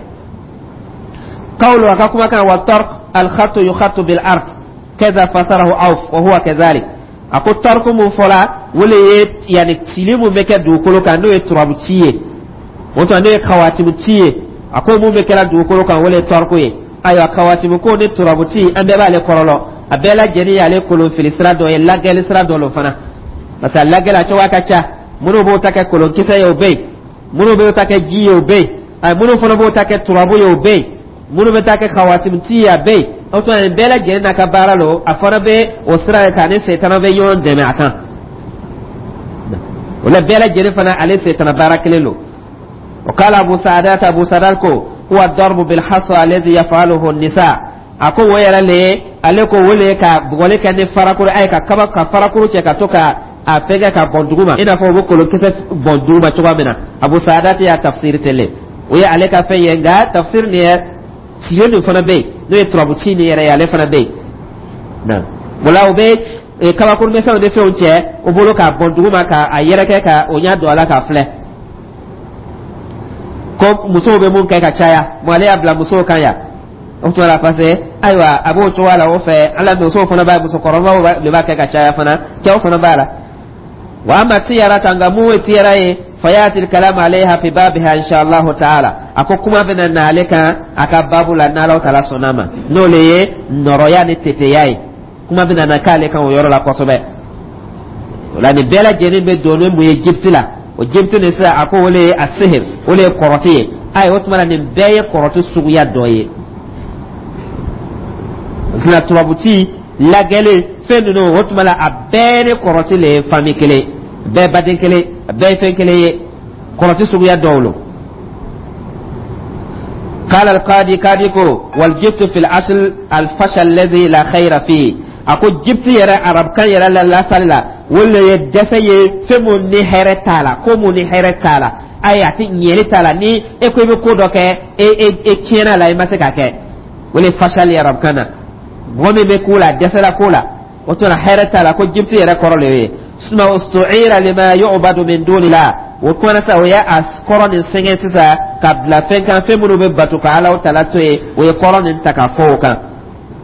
Speaker 1: Qawlu, a ka kumakan, wa tarq al-khattu yukhattu bil ard kaza fasarahu Awf wa huwa kadhalik. A ko tariku mun fɔla, o le ye yanni cili mun bɛ kɛ dugukolo kan, n'o ye turabu ci ye, o tuma n'o ye kawatimu ci ye. A ko mun bɛ kɛra dugukolo kan, o le ye tariku ye. Ayiwa, kawatimu ko ni turabu ci, an bɛɛ b'ale kɔrɔlɔ. A bɛɛ lajɛlen y'ale kolon fili sira dɔ ye, lagɛli sira dɔ lo fana, parce que a lagɛli a cogoya ka ca. Minnu b'o ta kɛ kolonkisɛ ye, o bɛ yen. Minnu b'o ta kɛ ji ye, o bɛ yen. Ayi, minnu fana b'o ta kɛ turabu ye, o bɛ yen. Minnu bɛ taa kɛ kawatimu ci ye, a bɛ yen. O tuma, nin bɛɛ lajɛlen n'a ka baara lo. A fana bɛ o sira de kan, ni setana bɛ ɲɔgɔn dɛmɛ a kan. O la, bɛɛ lajɛlen fana, ale setana baara kelen lo. O k'ala Abu Saadat, Abu Saadat ko huwa darbu bil hasa alladhi yaf'aluhu an-nisa. A ko o yɛrɛ le ye, ale ko o le ye ka bugɔli kɛ ni farakuru ayi, ka kaba ka farakuru cɛ ka to ka a fɛngɛ ka bɔn dugu ma, i n'a fɔ u bɛ kolonkisɛ bɔn dugu ma cogoya min na. Abu Saadat y'a tafsiri ten le, o ye ale ka fɛn ye. Nka tafsiri nin yɛ tiyo nin fana bɛ yen, n'o ye turabu ci nin yɛrɛ ye, ale fana bɛ yen. O la, u bɛ kabakuru misɛnw ni fɛnw cɛ o bolo k'a bɔn dugu ma, k'a yɛrɛkɛ ka o ɲɛ don a la k'a filɛ. Ko musow bɛ mun kɛ ka caya, mɔ ale y'a bila musow kan yan. O tuma la, parce que ayiwa, a b'o cogoya la. O fɛ, ala, musow fana b'a, musokɔrɔbaw de b'a kɛ ka caya fana, cɛw fana b'a la. Wa amma tiyarata, nka mun ye tiyara ye, fayati kalam alayha fi babiha insha Allah taala. A ko kuma bɛna na ale kan a ka babu la, n'Ala taala sɔnna ma, n'o le ye nɔrɔya ni teteya ye. Kuma bɛna na k'ale kan o yɔrɔ la kosɛbɛ. O la, nin bɛɛ lajɛlen bɛ don ni mun ye jibiti la. O jibiti nin sisan, a ko o le ye a sihir, o le ye kɔrɔti ye. Ayi, o tuma na, nin bɛɛ ye kɔrɔti suguya dɔ ye. Tuma tubabuti lagɛli fɛn ninnu, o tuma la, a bɛɛ ni kɔrɔti le ye famille kelen, bɛɛ baden kelen, a bɛɛ ye fɛn kelen ye, kɔrɔti suguya dɔw lo. قال القاضي, قاضي ko والجبت في الأصل الفشل الذي لا خير فيه. A ko jibiti yɛrɛ, arabukan yɛrɛ la, lasali la, o le ye dɛsɛ ye, fɛn mun ni hɛrɛ t'a la, ko mun ni hɛrɛ t'a la. Ayi, a ti ɲɛli t'a la. Ni e ko i bɛ ko dɔ kɛ, e e e tiɲɛna la, i ma se k'a kɛ, o le fashali arabukan na. Mɔgɔ min bɛ ko la, a dɛsɛla ko la, o tuma hɛrɛ t'a la. Ko jibiti yɛrɛ kɔrɔ le ye suma ustu'ira lima yu'badu min dunillah. O kuma na sa, o ye a kɔrɔ nin sɛgɛn sisan ka bila fɛn kan, fɛn minnu bɛ bato ka Ala tala to yen. O ye kɔrɔ nin ta ka fɔ o kan.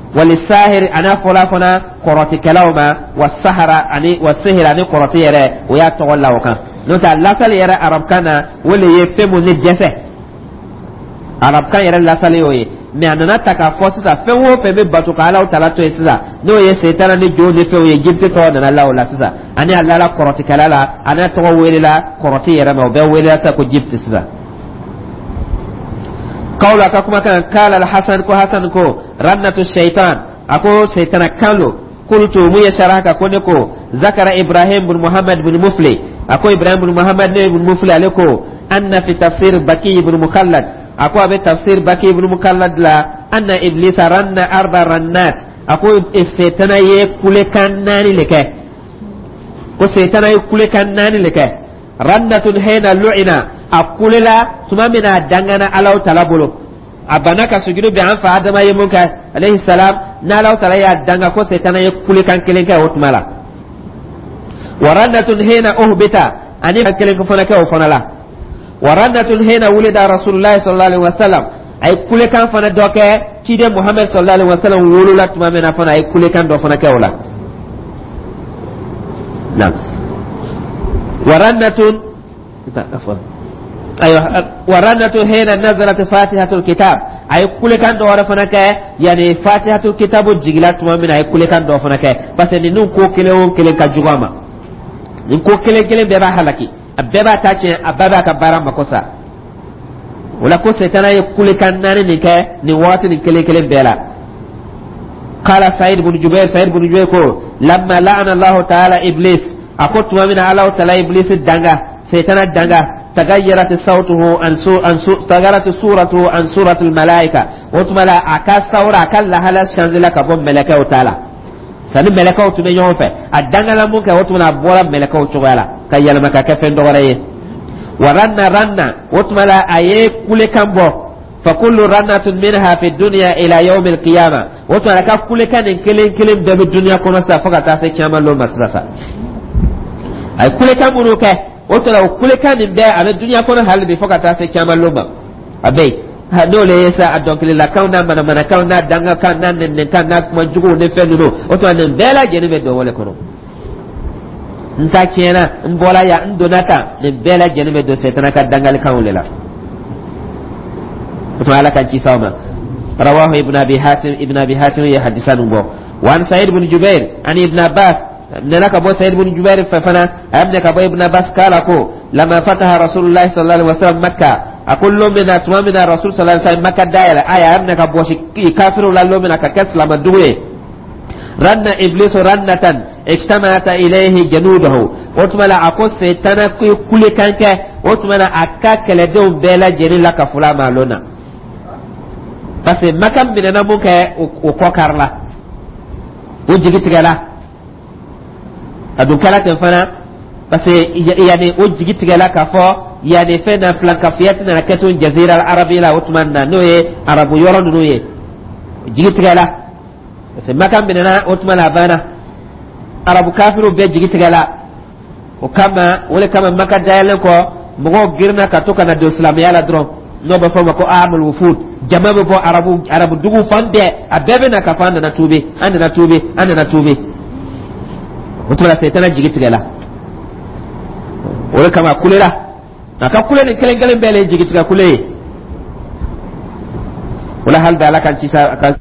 Speaker 1: Walisahir, a n'a fɔla fana kɔrɔtikɛlaw ma, wa sahara ani wa sihir, ani kɔrɔti yɛrɛ, o y'a tɔgɔ la o kan. N'o tɛ, a lasali yɛrɛ arabukan na, o le ye fɛn mun ni dɛsɛ, arabukan yɛrɛ lasali y'o ye. Mɛ a nana ta k'a fɔ sisan, fɛn o fɛn bɛ bato ka Ala tala to yen sisan, n'o ye setana ni jo ni fɛnw ye, jibiti tɔgɔ nana la o la sisan. Ani a lala kɔrɔtikɛla la, a n'a tɔgɔ welela kɔrɔti yɛrɛ ma, o bɛɛ welela sisan ko jibiti sisan. Kawla ka kumakan, kala alhasan, ko Hasan ko rannatu shaitan, a ko seitana kan lo. Qultu, mu ye saraha ka ko ne ko zakara Ibrahim bin Muhammad bin Mufli, a ko Ibrahim bin Muhammad ne bin Mufli, ale ko anna fi tafsir Baki ibn Mukhallad, a ko a bɛ tafsir Baki ibn Mukhallad la, anna Iblisa ranna arba rannat, a ko setana ye kulekan naani le kɛ, ko setana ye kulekan naani le kɛ. Rannatun hina lu'ina, a kulela tuma min na a dangana Alaw tala bolo, a banna ka sujudu bɛn an fa Adama ye mun kɛ alayhi salam, n'Alaw tala y'a danga, ko setana ye kulekan kelen kɛ o tuma la. Wa rannatun hina uhbita, ani kelen fana kɛ o fana la. Wa rannatun hina wulida Rasulullah sallallahu alaihi wasallam, a ye kulekan fana dɔ kɛ ciden Muhammad sallallahu alaihi wasallam wolola tuma min na fana, a ye kulekan dɔ fana kɛ o la. Naam, wa rannatun, ayiwa, wa rannatun hina nazalat fatihatul kitab, a ye kulekan dɔ wɛrɛ fana kɛ yani fatihatul kitab jigila tuma min na, a ye kulekan dɔ fana kɛ, parce que ninnu ko kelen o kelen ka jugu a ma. Nin ko kelen kelen bɛɛ b'a halaki, a bɛɛ b'a ta tiɲɛ, a bɛɛ b'a ka baara mako sa. O la, ko setana ye kulekan naani nin kɛ nin waati nin kelen kelen bɛɛ la. قال سعيد بن جبير, سعيد بن جبير ko لما لعن الله تعالى إبليس, a ko tuma min na Ala taala Iblis danga, setana danga, تغيرت صوته عن سو عن سو تغيرت صورته عن صورة الملائكة. O tuma la, a ka sawura, a ka lahala changé la ka bɔ mɛlɛkɛw ta la. Sani mɛlɛkɛw tun bɛ ɲɔgɔn fɛ, a dangala mun kɛ, o tuma la, a bɔra mɛlɛkɛw cogoya la ka yɛlɛma ka kɛ fɛn dɔ wɛrɛ ye. Wa ranna ranna, o tuma la, a ye kulekan bɔ. فكل رنة منها في الدنيا إلى يوم القيامة. O tuma la, ka kulekan nin kelen kelen bɛɛ bɛ dunuya kɔnɔ sisan fo ka taa se kiyama lon ma sisan sa. A ye kulekan minnu kɛ, o tuma la, o kulekan nin bɛɛ a bɛ dunuya kɔnɔ hali bi fo ka taa se kiyama lon ma, a bɛ yen. N'o le ye sa, a dɔnkililakanw n'a manamanakanw n'a dangakan n'a nɛnɛnkan n'a kuma juguw ni fɛn ninnu, o tuma nin bɛɛ lajɛlen bɛ don o le kɔnɔ. N ta tiɲɛna, n bɔra yan, n donna tan, nin bɛɛ lajɛlen bɛ don setana ka dangalikanw de la. O tuma, Ala ka ci s'aw ma. رواه ابن أبي حاتم, ابن أبي حاتم ye hadisa nin bɔ. وعن سعيد بن جبير عن ابن عباس, nana ka bɔ Saïd ibn Jubair fɛ fana, a y'a minɛ ka bɔ Ibn Abbas, kala ko لما فتح رسول الله صلى الله عليه وسلم مكة, a ko lon min na, tuma min na Rasul sallallahu alaihi wasallam Makka dayɛlɛ, a y'a minɛ ka bɔsi kafiriw la lon min na ka kɛ silamɛ dugu ye, رن إبليس رنة اجتمعت إليه جنوده. O tuma la, a ko setana kulekan kɛ, o tuma la, a ka kɛlɛdenw bɛɛ lajɛlen la ka fula ma lon na, parce que Maka minɛna mun kɛ, o kɔ kari la, o jigi tigɛla. A dun kɛra ten fana, parce que yani o jigi tigɛla k'a fɔ yani fɛn na filankafiya tɛna kɛ to jazira arabi la. O tuma na, n'o ye arabu yɔrɔ ninnu ye, jigi tigɛla, parce que Maka minɛna. O tuma na, a banna, arabu kafiriw bɛɛ jigi tigɛla. O kama, o de kama, Maka dayɛlɛn kɔ, mɔgɔw girinna ka to ka na don silamɛya la dɔrɔn. N'o bɛ fɔ o ma ko amul wufud. Jama bɛ bɔ arabu dugu fan bɛɛ, a bɛɛ bɛ na k'a fɔ an nana tuubi, an nana tuubi, an nana tuubi. O tuma la, Seyitana jigi tigɛla. O de kama a kulela. A ka kule nin kelen kelen bɛɛ le ye jigitigɛ kule ye. O la, hali bi Ala k'an ci sa ka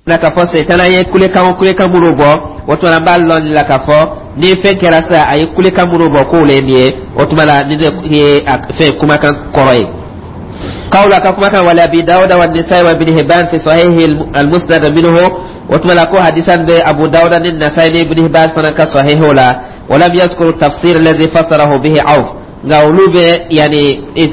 Speaker 1: na k'a fɔ Seyitana ye kulekan o kulekan minnu bɔ, o tuma an b'a lɔn nin la k'a fɔ ni fɛn kɛra sisan, a ye kulekan minnu bɔ k'o le ye nin ye. O tuma la, nin de ye a fɛn kumakan kɔrɔ ye. قول كما كان ولأبي داود والنسائي وابن هبان في صحيح المسند منه. وتما كو حديثا أبو داود النسائي ابن هبان فنك صحيح لا ولم يذكر التفسير الذي فسره به عوف. Nka olu bɛ yani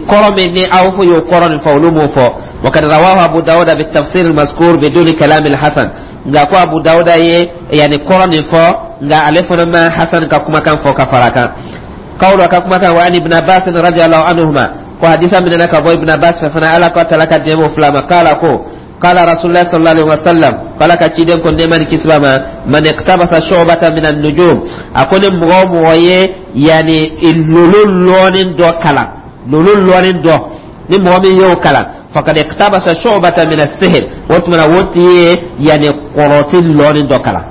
Speaker 1: kɔrɔ min ni Awfu y'o kɔrɔ nin fɔ, olu m'o fɔ. وقد رواه أبو داود بالتفسير المذكور بدون كلام الحسن. Nka ko Abu Dawuda ye yani kɔrɔ nin fɔ, nka ale fana ma Hasan ka kumakan fɔ ka fara kan. قول ka kumakan وعن ابن عباس رضي الله عنهما, ko hadisa minɛna ka bɔ Ibn Abbas fɛ fana, Ala ka tala ka diɲɛ fila ma, قال ko قال رسول الله صلى الله عليه وسلم, قال ka ciden ko nɛɛma ni kisi b'a ma, من اقتبس شعبة من النجوم, a ko ni mɔgɔ o mɔgɔ ye yani lolo lɔɔni dɔ kalan, lolo lɔɔni dɔ, ni mɔgɔ min y'o kalan, فقد اقتبس شعبة من السحر, o tuma na o tigi ye yani kɔrɔti lɔɔni dɔ kalan.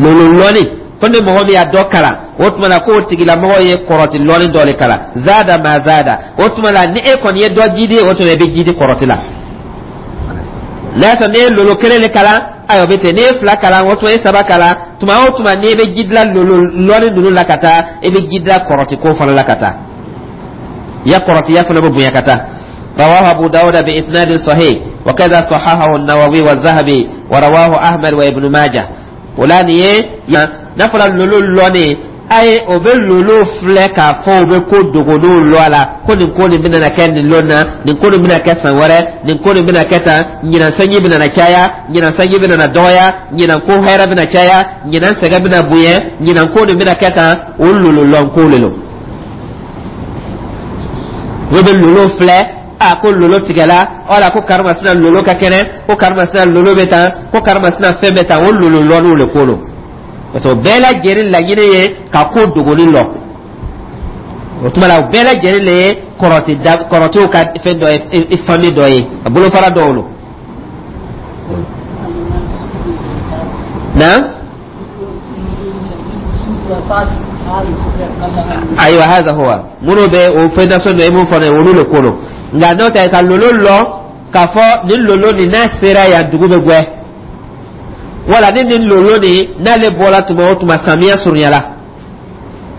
Speaker 1: Lolo lɔɔni, ko ni mɔgɔ min y'a dɔ kalan, o tuma na k'o tigilamɔgɔ ye kɔrɔti lɔɔni dɔ de kalan. زاد ما زاد, o tuma na ni e kɔni ye dɔ jidi, o tuma i bɛ jidi kɔrɔti la. N'a y'a sɔrɔ n'i ye lolo kelen de kalan, ayiwa, o bɛ ten. N'i ye fila kalan, o tuma i ye saba kalan. Tuma o tuma n'i bɛ ji dilan lolo lɔɔni ninnu la ka taa, i bɛ ji dilan kɔrɔti ko fana la ka taa, ya kɔrɔtiya fana bɛ bonya ka taa. رواه أبو داود بإسناد صحيح وكذا صححه النووي والذهبي ورواه أحمد وابن ماجه. O la, nin ye n'a fɔra lolo lɔni, a ye o bɛ lolo filɛ k'a fɔ o bɛ ko dogolenw lɔ a la, ko nin ko nin bɛna kɛ nin lon na, nin ko nin bɛna kɛ san wɛrɛ, nin ko nin bɛna kɛ tan, ɲinan sanji bɛna na caya, ɲinan sanji bɛna na dɔgɔya, ɲinan ko hɛrɛ bɛna caya, ɲinan sɛgɛn bɛna bonya, ɲinan ko nin bɛna kɛ tan. O lolo lɔn ko le lo. O bɛ lolo filɛ, a ko lolo tigɛla, wala ko karimasina lolo ka kɛnɛ, ko karimasina lolo bɛ tan, ko karimasina fɛn bɛ tan. O lolo lɔnniw le ko lo, parce que o bɛɛ lajɛlen laɲini ye ka ko dogoli lɔ. O tuma la, o bɛɛ lajɛlen le ye kɔrɔti da kɔrɔtiw ka fɛn dɔ ye, famille dɔ ye, a bolofara dɔw lo na. Ayiwa, هذا هو minnu bɛ o fɛn nasɔn dɔ ye mun fɔ ne, olu le ko lo. Nka n'o tɛ ka lolo lɔ k'a fɔ nin lolo nin n'a sera yan, dugu bɛ gwɛ, wala ni nin lolo nin n'ale bɔra tuma o tuma, samiya surunyala,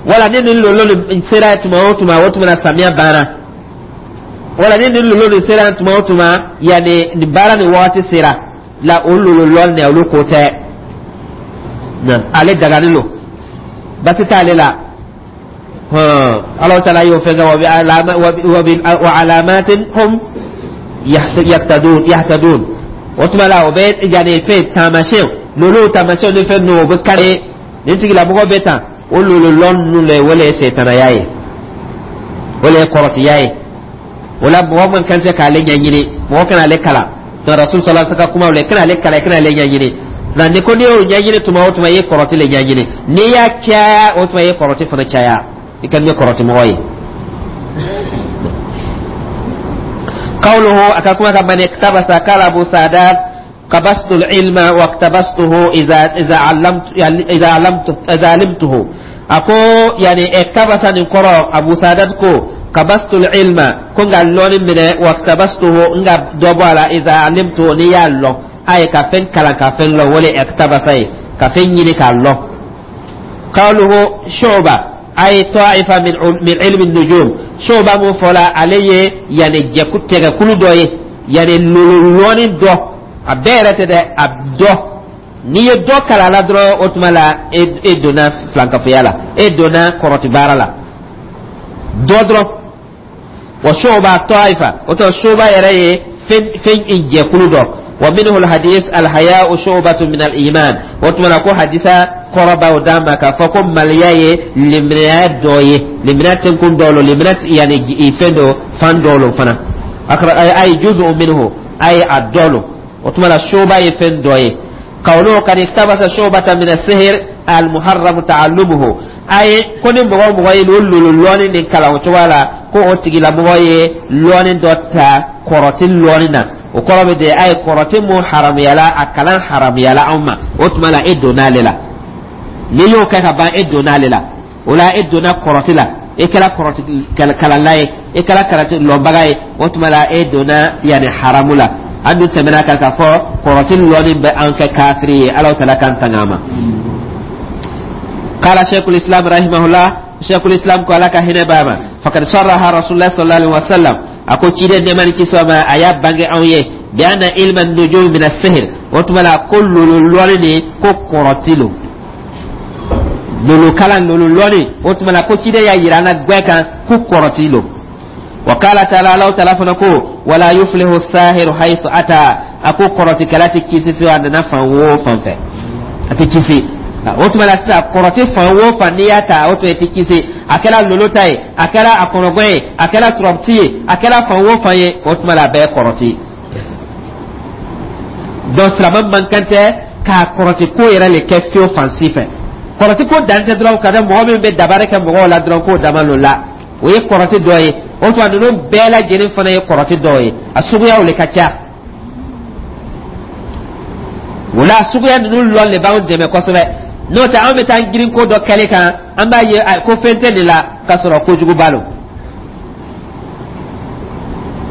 Speaker 1: wala ni nin lolo nin sera tuma o tuma, o tuma na samiya banna, wala ni nin lolo nin sera tuma o tuma, yanni nin baara nin wagati sera la, o lolo lɔn nin, olu ko tɛ. Ale dagani lo, basi t'ale la. Ala taala y'o fɛn kɛ وعلامات هم يهتدون. O tuma la, o bɛ yanni fɛn taamasiyɛn, lolo taamasiyɛn ni fɛn ninnu, o bɛ kari nin tigilamɔgɔ bɛ tan. O lolo lɔn ninnu le, o le ye setanaya ye, o le ye kɔrɔtiya ye. O la, mɔgɔ man kan tɛ k'ale ɲɛɲini, mɔgɔ kana ale kalan. Donc Rasul صلى الله عليه وسلم kuma o la, kana ale kalan, kana ale ɲɛɲini. Nka ni ko n'i y'o ɲɛɲini tuma o tuma, i ye kɔrɔti le ɲɛɲini. N'i y'a caya, o tuma i ye kɔrɔti fana caya, i ka kɛ kɔrɔti mɔgɔ ye. قوله أكاكما من اقتبس, قال أبو سعدات قبست العلم واقتبسته إذا علمت إذا علمته. أكو يعني اقتبس نقرأ أبو سعدات كو قبست العلم كون لون من واقتبسته نغا دوبالا إذا علمته نيالو أي كفن كلا كفن لو ولي اقتبس كفن يني كالو. قوله شعبة أي طائفة من علم النجوم. شعبة mun fɔla, ale ye yani jɛku tɛgɛkulu dɔ ye, yani lololɔni dɔ, a bɛɛ yɛrɛ tɛ dɛ, a dɔ. N'i ye dɔ kalan la dɔrɔn, o tuma la e donna filankafoya la, e donna kɔrɔti baara la dɔ dɔrɔn. وشعبة طائفة, o tɔ شعبة yɛrɛ ye fɛn jɛkulu dɔ. ومنه الحديث الحياء شعبة من الإيمان. O tuma na ko hadisa kɔrɔba o d'an ma k'a fɔ ko maliya ye limaniya dɔ ye, limaniya tɛnkun dɔ lo, limaniya yani fɛn dɔ fan dɔ lo fana, أي جزء منه, أي a dɔ lo. O tuma la, شعبة ye fɛn dɔ ye. قوله قد اقتبس شعبة من السحر. Almuharramu ta'allumuhu, aye ko ni mɔgɔ o mɔgɔ ye o lolo lɔɔni nin kalan o cogoya la, ko o tigilamɔgɔ ye lɔɔni dɔ ta kɔrɔti lɔɔni na. O kɔrɔ bɛ de a ye kɔrɔti mun haramuyala, a kalan haramuyala anw ma. O tuma la, e donna ale la. N'i y'o kɛ ka ban, e donna ale la. O la, e donna kɔrɔti la, e kɛra kɔrɔti kalanla ye, e kɛra karati lɔnbaga ye. O tuma la, e donna yanni haramu la. An dun tɛmɛna kan k'a fɔ kɔrɔti lɔnni bɛ an kɛ kafiri ye. Ala taala k'an tanga a ma. قال شيخ الإسلام رحمه الله, شيخ الإسلام ko, Ala ka hinɛ b'a ma, فقد صرح رسول الله صلى الله عليه وسلم, a ko ciden nɛɛma ni kisi ma, a y'a bange anw ye, بأن علم النجوم من السحر. O tuma la, ko lolo lɔnni ni ko kɔrɔti lo, lolo kalan, lolo lɔnni. O tuma la, ko ciden y'a yira an na gbɛ kan ko kɔrɔti lo. وقال تعالى, Ala taala fana ko: ولا يفلح الساحر حيث أتى. A ko kɔrɔtikɛla tɛ kisi fiyewu, a nana fan o fan fɛ, a tɛ kisi. O tuma la sisan, kɔrɔti fan o fan n'i y'a ta, o tuma i tɛ kisi. A kɛra lolo ta ye, a kɛra a kɔnɔgɔn ye, a kɛra turabiti ye, a kɛra fan o fan ye, o tuma la, a bɛɛ ye kɔrɔti. Donc silamɛ man kan tɛ k'a kɔrɔti ko yɛrɛ le kɛ fiyewu fan si fɛ. Kɔrɔti ko dan tɛ dɔrɔn ka da mɔgɔ min bɛ dabari kɛ mɔgɔw la dɔrɔn k'o dama lo la, o ye kɔrɔti dɔ ye. O tuma, ninnu bɛɛ lajɛlen fana ye kɔrɔti dɔw ye, a suguyaw le ka ca. O la, suguya ninnu lɔn le b'anw dɛmɛ kosɛbɛ. N'o tɛ, anw bɛ taa girin ko dɔ kɛli kan, an b'a ye ko fɛn tɛ nin la, k'a sɔrɔ kojuguba lo.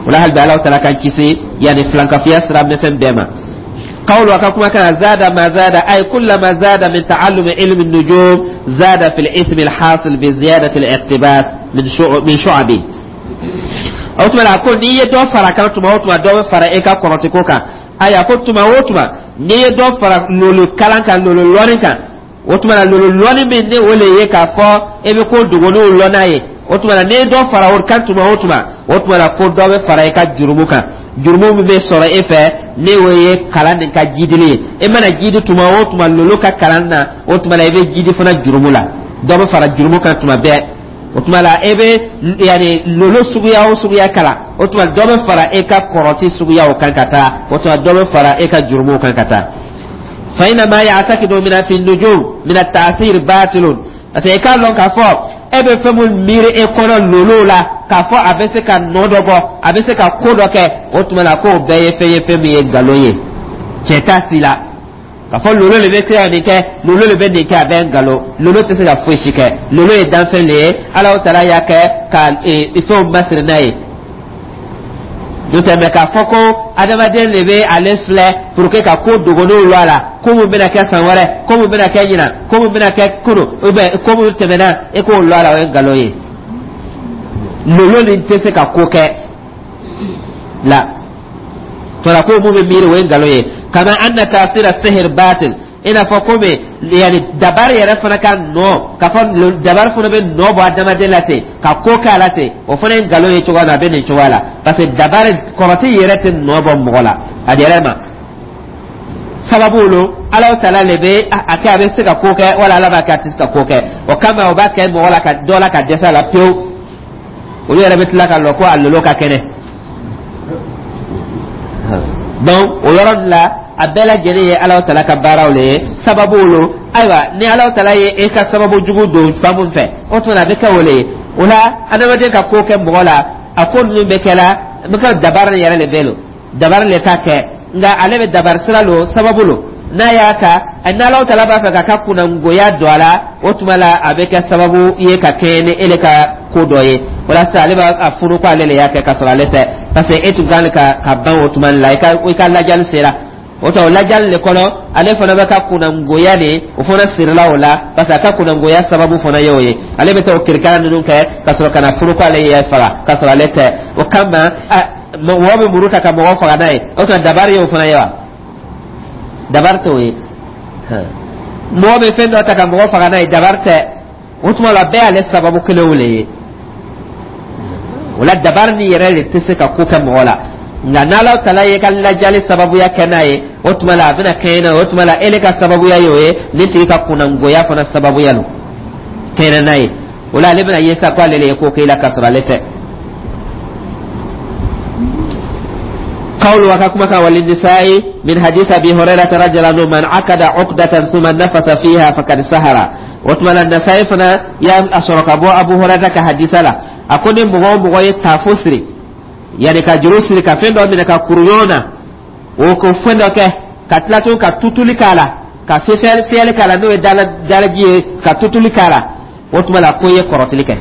Speaker 1: O la, hali bi, Alahu taala k'an kisi yanni filankafiya sira misɛn bɛɛ ma. قول وكما كان زاد ما زاد، أي كلما زاد من تعلم علم النجوم زاد في الإثم الحاصل بزيادة الاقتباس من شعبه. O tuma la, ko n'i ye dɔ fara kan tuma o tuma, dɔ bɛ fara e ka kɔrɔti ko kan. Ayiwa, ko tuma o tuma n'i ye dɔ fara lolo kalan kan, lolo lɔnni kan, o tuma la, lolo lɔnni min ni o le ye k'a fɔ e bɛ ko dogoninw lɔn n'a ye, o tuma la, n'i ye dɔ fara o kan tuma o tuma, o tuma la, ko dɔ bɛ fara i ka jurumu kan, jurumu min bɛ sɔrɔ e fɛ ni o ye kalan nin ka jidili ye. E mana jidi tuma o tuma lolo ka kalan na, o tuma la, i bɛ jidi fana jurumu la, dɔ bɛ fara jurumu kan tuma bɛɛ. O tuma la, e bɛ yanni lolo suguya o suguya kalan, o tuma dɔ bɛ fara e ka kɔrɔti suguyaw kan ka taa, o tuma dɔ bɛ fara e ka jurumuw kan ka taa. فإن ما يعتقد من في النجوم من التأثير باطل, parce que i k'a lɔn k'a fɔ e bɛ fɛn mun miiri e kɔnɔ lolo la, k'a fɔ a bɛ se ka nɔ dɔ bɔ, a bɛ se ka ko dɔ kɛ, o tuma la, k'o bɛɛ ye fɛn ye, fɛn min ye nkalon ye, tiɲɛ t'a si la. K'a fɔ lolo de bɛ se ka nin kɛ, lolo de bɛ nin kɛ, a bɛɛ ye nkalon. Lolo tɛ se ka foyi si kɛ. Lolo ye danfɛn de ye, Alahu taala y'a kɛ ka fɛnw masiri n'a ye. N'o tɛ mɛ k'a fɔ ko adamaden de bɛ ale filɛ pour que ka ko dogoninw lɔ a la, ko mun bɛna kɛ san wɛrɛ, ko mun bɛna kɛ ɲinan, ko mun bɛna kɛ kunu ou bien ko mun tɛmɛna, e k'o lɔ a la, o ye nkalon ye. Lolo nin tɛ se ka ko kɛ la tɔra, ko mun bɛ miiri, o ye nkalon ye. كما أن تأثير السحر باطل, i n'a fɔ komi yanni dabari yɛrɛ fana ka nɔ, k'a fɔ dabari fana bɛ nɔ bɔ adamaden la ten ka ko k'a la ten, o fana ye nkalon ye cogoya min na, a bɛ nin cogoya la, parce que dabari kɔrɔti yɛrɛ tɛ nɔ bɔ mɔgɔ la a yɛrɛ ma. Sababu lo, Ala taala le bɛ a kɛ, a bɛ se ka ko kɛ wala Ala b'a kɛ a tɛ se ka ko kɛ. O kama, o b'a kɛ mɔgɔ la ka dɔ la ka dɛsɛ a la pewu, olu yɛrɛ bɛ tila ka lɔ ko a lolo ka kɛnɛ. Donc o yɔrɔ la, a bɛɛ lajɛlen ye Ala taala ka baaraw le ye, sababu lo. Ayiwa, ni Ala taala ye e ka sababu jugu don fan mun fɛ, o tuma a bɛ kɛ o le ye. O la, adamaden ka ko kɛ mɔgɔ la, a ko ninnu bɛ kɛ la, bɛ kɛ dabari yɛrɛ le bɛ lo, dabari le t'a kɛ, nka ale bɛ dabari sira lo, sababu lo. N'a y'a ta, ni Ala taala b'a fɛ k'a ka kunnangoya don a la, o tuma la, a bɛ kɛ sababu ye ka kɛɲɛ ni e le ka ko dɔ ye. Walasa ale b'a furu ko ale le y'a kɛ, k'a sɔrɔ ale tɛ, parce que e tun kan ka ban o tuma la, i ka lajali sera. O tɔ o lajali le kɔnɔ, ale fana bɛ ka kunnangoya de, o fana sirila o la, parce que a ka kunnangoya sababu fana ye o ye. Ale bɛ taa o kirikara ninnu kɛ ka sɔrɔ ka na furu ko ale y'a faga, k'a sɔrɔ ale tɛ. O kama, mɔgɔ bɛ muru ta ka mɔgɔ faga n'a ye, o tuma dabari ye o fana ye wa? Dabari t'o ye. Mɔgɔ bɛ fɛn dɔ ta ka mɔgɔ faga n'a ye, dabari tɛ. O tuma la, bɛɛ y'ale sababu kelenw le ye. O la, dabari ni yɛrɛ de tɛ se ka ko kɛ mɔgɔ la, nka n'Ala tala ye ka lajali sababuya kɛ n'a ye, o tuma la, a bɛna kɛɲɛ n'a ye. O tuma la, ele ka sababuya ye o ye, nin tigi ka kunnangoya fana sababuya lo kɛɲɛ n'a ye. O la, ale bɛna ye sa ko ale le ye ko kɛ i la, k'a sɔrɔ ale tɛ. قول وكما وللنساء من حديث أبي هريرة رضي الله عنه من عقد عقدة ثم نفث فيها فقد سهر. وتمنى النساء فنا يا أشرك أبو هريرة كحديث لا أكون مغو تافسري يعني كجروسري كفين دو من ككوريونا وكفين دو كتلاتو كتوتولي كالا كسفر سيال كالا نو دالجي كتوتولي كالا وتمنى كوي كورتلي كه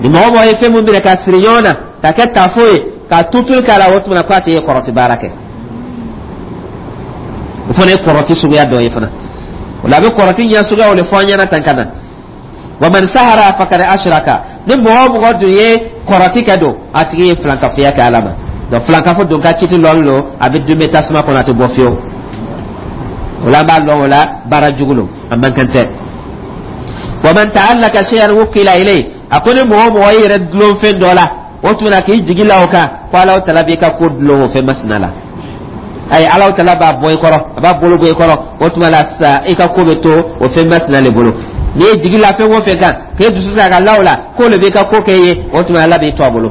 Speaker 1: ni mɔgɔ ye fɛn mun minɛ ka siri ɲɔgɔn na ka kɛ tafo ye ka tutuli k'a la, o tuma na k'a tɛ ye kɔrɔti baara kɛ. O fana ye kɔrɔti suguya dɔ ye fana. O la a bɛ kɔrɔti ɲɛ suguyaw de fɔ an ɲɛna tan ka na. Wa man sahara fakad ashraka, ni mɔgɔ o mɔgɔ dun ye kɔrɔti kɛ don, a tigi ye filankafoya kɛ Ala ma. Donc filankafo don ka kiti lɔn lo, a bɛ dun bɛ tasuma kɔnɔ, a tɛ bɔ fiyewu. O la an b'a lɔn o la baara jugu lo, a man kan tɛ. Wa man ta'allaka shay'an wukila ilayhi, a ko ni mɔgɔ o mɔgɔ y'i yɛrɛ dulon fɛn dɔ la, o tuma na k'i jigi la o kan ko Alahu tala b'i ka ko dulon o fɛn masina la, ayi, Alahu tala b'a bɔ i kɔrɔ, a b'a bolo bɔ i kɔrɔ, o tuma la sisan i ka ko bɛ to o fɛn masina le bolo. N'i ye jigi la fɛn o fɛn kan k'e dusu ta ka la o la k'o le b'i ka ko kɛ i ye, o tuma Ala b'i to a bolo.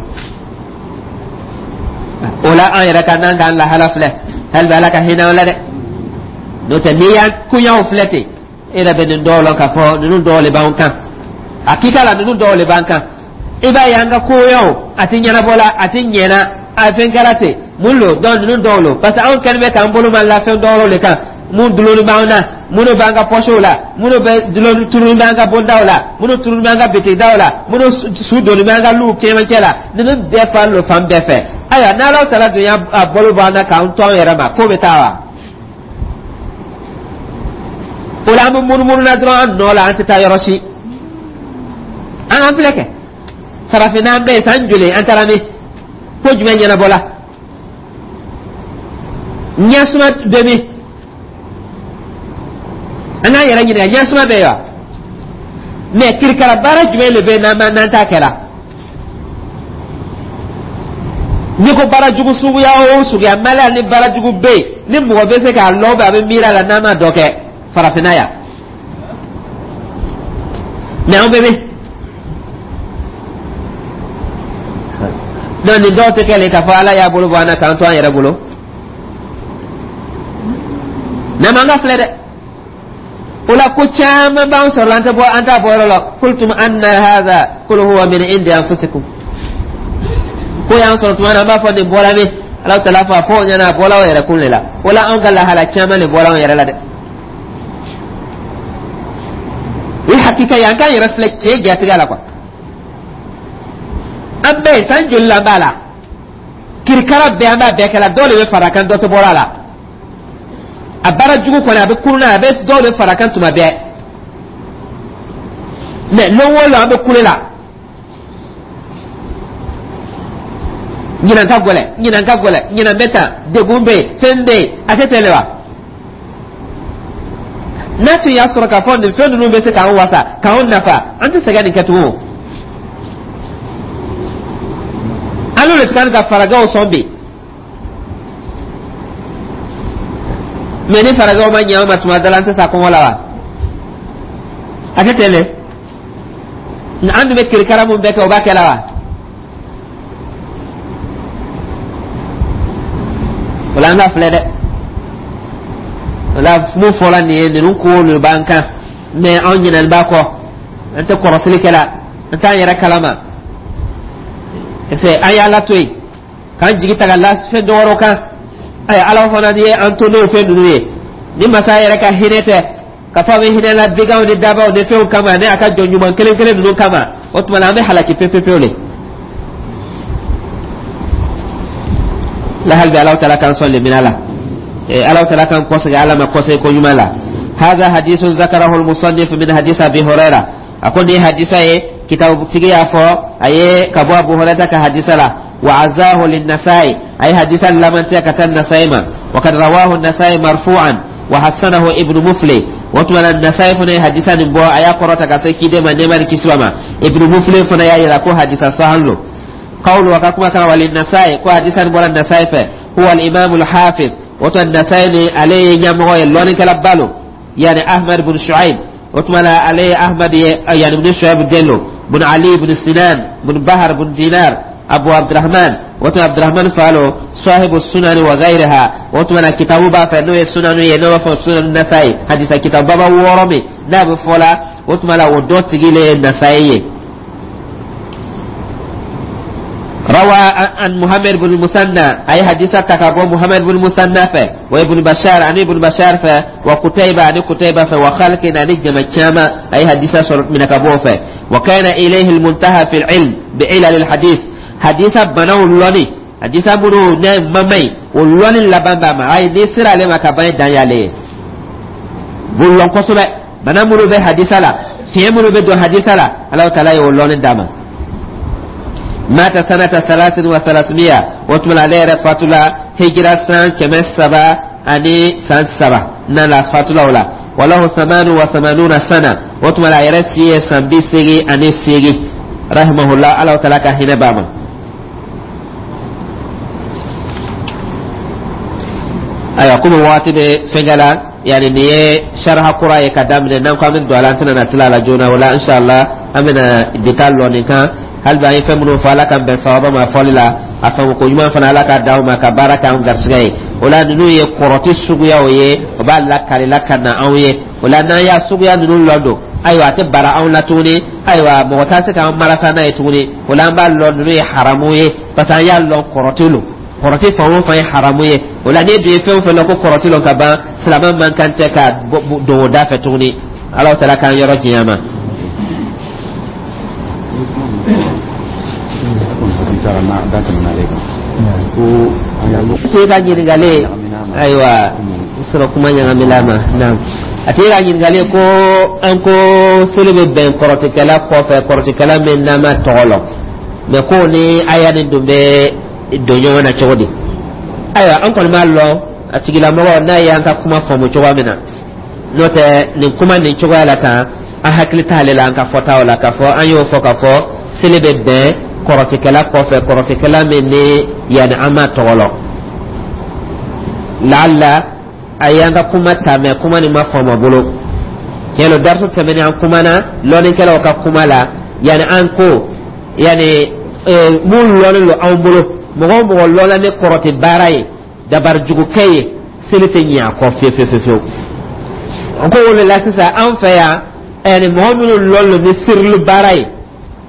Speaker 1: O la an yɛrɛ ka n'an k'an lahala filɛ, hali bi Ala ka hinɛ an la dɛ. N'o tɛ n'i y'an koɲaw filɛ ten, e yɛrɛ bɛ nin dɔw lɔn k'a fɔ ninnu dɔw le b'an kan. Hakika la ninnu dɔw le b'an kan. I b'a ye an ka koɲaw a ti ɲɛnabɔ la, a ti ɲɛna, a fɛn kɛra ten mun lo. Donc ninnu dɔw lo parce que anw kɛlen bɛ k'an bolo ma la fɛn dɔw le kan, mun dulonni b'an na, minnu b'an ka pɔsiw la, minnu bɛ dulonni turuni b'an ka bondaw la, minnu turuni b'an ka bitigidaw la, minnu su donni b'an ka luw cɛmancɛ la, ninnu bɛɛ fan lo fan bɛɛ fɛ. Ayiwa, n'Ala tala dun y'a bolo bɔ an na k'an to an yɛrɛ ma, ko bɛ taa wa? O la an bɛ munumunu na dɔrɔn an nɔ la, an tɛ taa yɔrɔ si. An k'an filɛ kɛ farafinna, an bɛɛ ye san joli an taara min, ko jumɛn ɲɛnabɔ la, ɲɛsuma bɛ min? An k'an yɛrɛ ɲininka, ɲɛsuma bɛ yen wa? Mɛ kirikara baara jumɛn de bɛ yen n'an t'a kɛ la? N'i ko baara jugu suguya o suguya, Mali ni baara jugu bɛ yen ni mɔgɔ bɛ se k'a lɔ a bɛ miiri a la n'an ma dɔ kɛ farafinna yan, mɛ an bɛ min? Donc nin dɔw tɛ kɛ k'a fɔ Ala y'a bolo bɔ an na k'an to an yɛrɛ bolo, n'an m'an ka filɛ dɛ. O la ko caman b'an sɔrɔ la, an tɛ bɔ, an t'a bɔ yɔrɔ la. Kultum anna hadha qul huwa min indi anfusikum. Ko y'an sɔrɔ tuma na, an b'a fɔ nin bɔra min? Ala tala fɔ a fɔ o ɲɛna, a bɔra aw yɛrɛ kun de la. O la anw ka lahala caman de bɔra anw yɛrɛ la dɛ. O ye hakika ye, an k'an yɛrɛ filɛ tiɲɛ jatigɛ la quoi. An bɛɛ san joli la an b'a la, kirikara bɛɛ an b'a bɛɛ kɛ la, dɔw de bɛ fara a kan, dɔ tɛ bɔra a la. A baara jugu kɔni a bɛ kurun na, a bɛ dɔw de fara a kan tuma bɛɛ. Mɛ lon o lon an bɛ kule la, ɲinan ka gɛlɛn, ɲinan ka gɛlɛn, ɲinan bɛ tan, degun bɛ yen, fɛn bɛ yen, a tɛ ten de wa? N'a tun y'a sɔrɔ k'a fɔ nin fɛn ninnu bɛ se k'an wasa k'an nafa, an tɛ sɛgɛn nin kɛ tugun. An n'o de kan ka farajɛw sɔn bi, mɛ ni farajɛw ma ɲɛ an ma tuma dɔ la, an tɛ sa kɔngɔ la wa? A tɛ ten dɛ. An dun bɛ kirikara mun bɛɛ kɛ, o b'a kɛ la wa? O la an ka filɛ dɛ. O la mun fɔra nin ye, ninnu ko de b'an kan, mɛ anw ɲinɛni b'a kɔ, an tɛ kɔrɔsili kɛ la, an t'an yɛrɛ kalama. Parce que an y'Ala to yen k'an jigi ta ka la fɛn dɔ wɛrɛw kan. Ayi, Ala fana ye an to n'o fɛn ninnu ye. Ni masa yɛrɛ ka hinɛ tɛ k'a fɔ a bɛ hinɛ la biganw ni dabaw ni fɛnw kama, ni a ka jɔn ɲuman kelen kelen ninnu kama, o tuma na an bɛ halaki pewu pewu de. La hali bi Alahu taala k'an sɔn lemina la, Alahu taala k'an kɔsegin Ala ma kɔsegin ko ɲuman la. هذا حديث ذكره المصنف من حديث أبي هريرة. أكون دي حديثة كتاب تيجي أفو أي كبوا أبو هريرة كحديثة لا وعزاه للنسائي أي حديثا لمن تكتن النسائي، وقد رواه النسائي مرفوعا وحسنه ابن مفلي. وتمنى النسائي فنا حديثا نبوا أي قرأت كسي كده ما نمر كسوما ابن مفلي فنا يا يراكو حديثا صحيح. قول وكما كان وللنسائي كو حديثا بولا النسائي هو الإمام الحافظ. وتمنى النسائي عليه يمغو يلون كلبالو يعني أحمد بن شعيب، وتمنى عليه أحمد يعني بن شعيب دينو بن علي بن سنان بن بهر بن دينار Abu Abdurrahman, o tun Abdurrahman fa lo, sahibu sunani wa ghayriha. O tuma na kitabu b'a fɛ, n'o ye sunanu ye, n'o b'a fɔ Sunanu Nasayi, hadisa kitabu baba wɔɔrɔ min n'a bɛ fɔ la, o tuma la o dɔ tigi le ye Nasayi ye. روى عن محمد بن المثنى، أي حديثة تكابو محمد بن المثنى فه، وابن بشار، عن ابن بشار فه، وقتيبة، عن قتيبة فه، وخلق عن جمع، أي حديثة صرت من كابو فه. وكان إليه المنتهى في العلم بعلل الحديث. حديثة بنو اللوني، حديثة بنو ممي واللوني لبان باما، أي نسر عليه ما كباني دانيالي بلون قصبة بنا منو به حديثة لا fiɲɛ minnu bɛ don hadisa la, Alahu taala ye o lɔnni d'a ma. Mata sanata 333. O tuma ale yɛrɛ fatula hijira san 303 na la fatula o la. Walahu 88 sana. O tuma la a yɛrɛ si ye san 88. Rahimahullah, Alahu taala ka hinɛ b'a ma. Ayiwa, komi waati bɛ fɛnkɛ la, yani nin ye sariha kura ye ka daminɛ, n'an ko an bɛ don a la, an tɛna na tila a la joona. O la, inshallah, an bɛna bi ta lɔ nin kan. Hali bi an ye fɛn minnu fɔ, Ala k'an bɛn sawaba ma fɔli la. A faamu ko ɲuman fana, Ala k'a d'aw ma ka baara k'an garisigɛ ye. O la, ninnu ye kɔrɔti suguyaw ye, o b'a lakalila ka na anw ye. O la, n'an y'a suguya ninnu lɔ don, ayiwa, a tɛ bara anw la tuguni. Ayiwa, mɔgɔ t'a se k'an marata n'a ye tuguni. O la, an b'a lɔn ninnu ye haramu ye, parce que an y'a lɔn kɔrɔti lo. Kɔrɔti fan o fan ye haramu ye. O la, n'e dun ye fɛn o fɛn lɔn ko kɔrɔti lɔ ka ban, silamɛ man kan tɛ ka don o da fɛ tuguni. Alahu taala k'an yɔrɔ janya ma. Tigi ka ɲininkali, ayiwa, sɔrɔ kuma ɲagamila ma. Naam, a tigi ka ɲininkali ko an ko seli bɛ bɛn kɔrɔtikɛla kɔfɛ, kɔrɔtikɛla min n'an ma tɔgɔ lɔn, mɛ ko ni aya nin dun bɛ don ɲɔgɔn na cogo di? Ayiwa, an kɔni b'a lɔn a tigilamɔgɔ n'a y'an ka kuma faamu cogoya min na. N'o tɛ, nin kuma nin cogoya la tan, an hakili t'ale la an ka fɔtaw la k'a fɔ an y'o fɔ k'a fɔ seli bɛ bɛn kɔrɔtikɛla kɔfɛ, kɔrɔtikɛla min ni yanni an m'a tɔgɔ lɔn. Laala a y'an ka kuma ta, mɛ kuma nin ma faamu a bolo. Tiɲɛ don, darisu tɛmɛnen an kumana lɔnnikɛlaw ka kuma la, yanni an ko yanni mun lɔnnen don anw bolo, mɔgɔ o mɔgɔ lɔnna ni kɔrɔti baara ye, dabarijugukɛ ye, seli tɛ ɲɛ a kɔ fiyewu fiyewu fiyewu. An ko o de la sisan, an fɛ yan, yanni mɔgɔ minnu lɔnnen don ni sirili baara ye,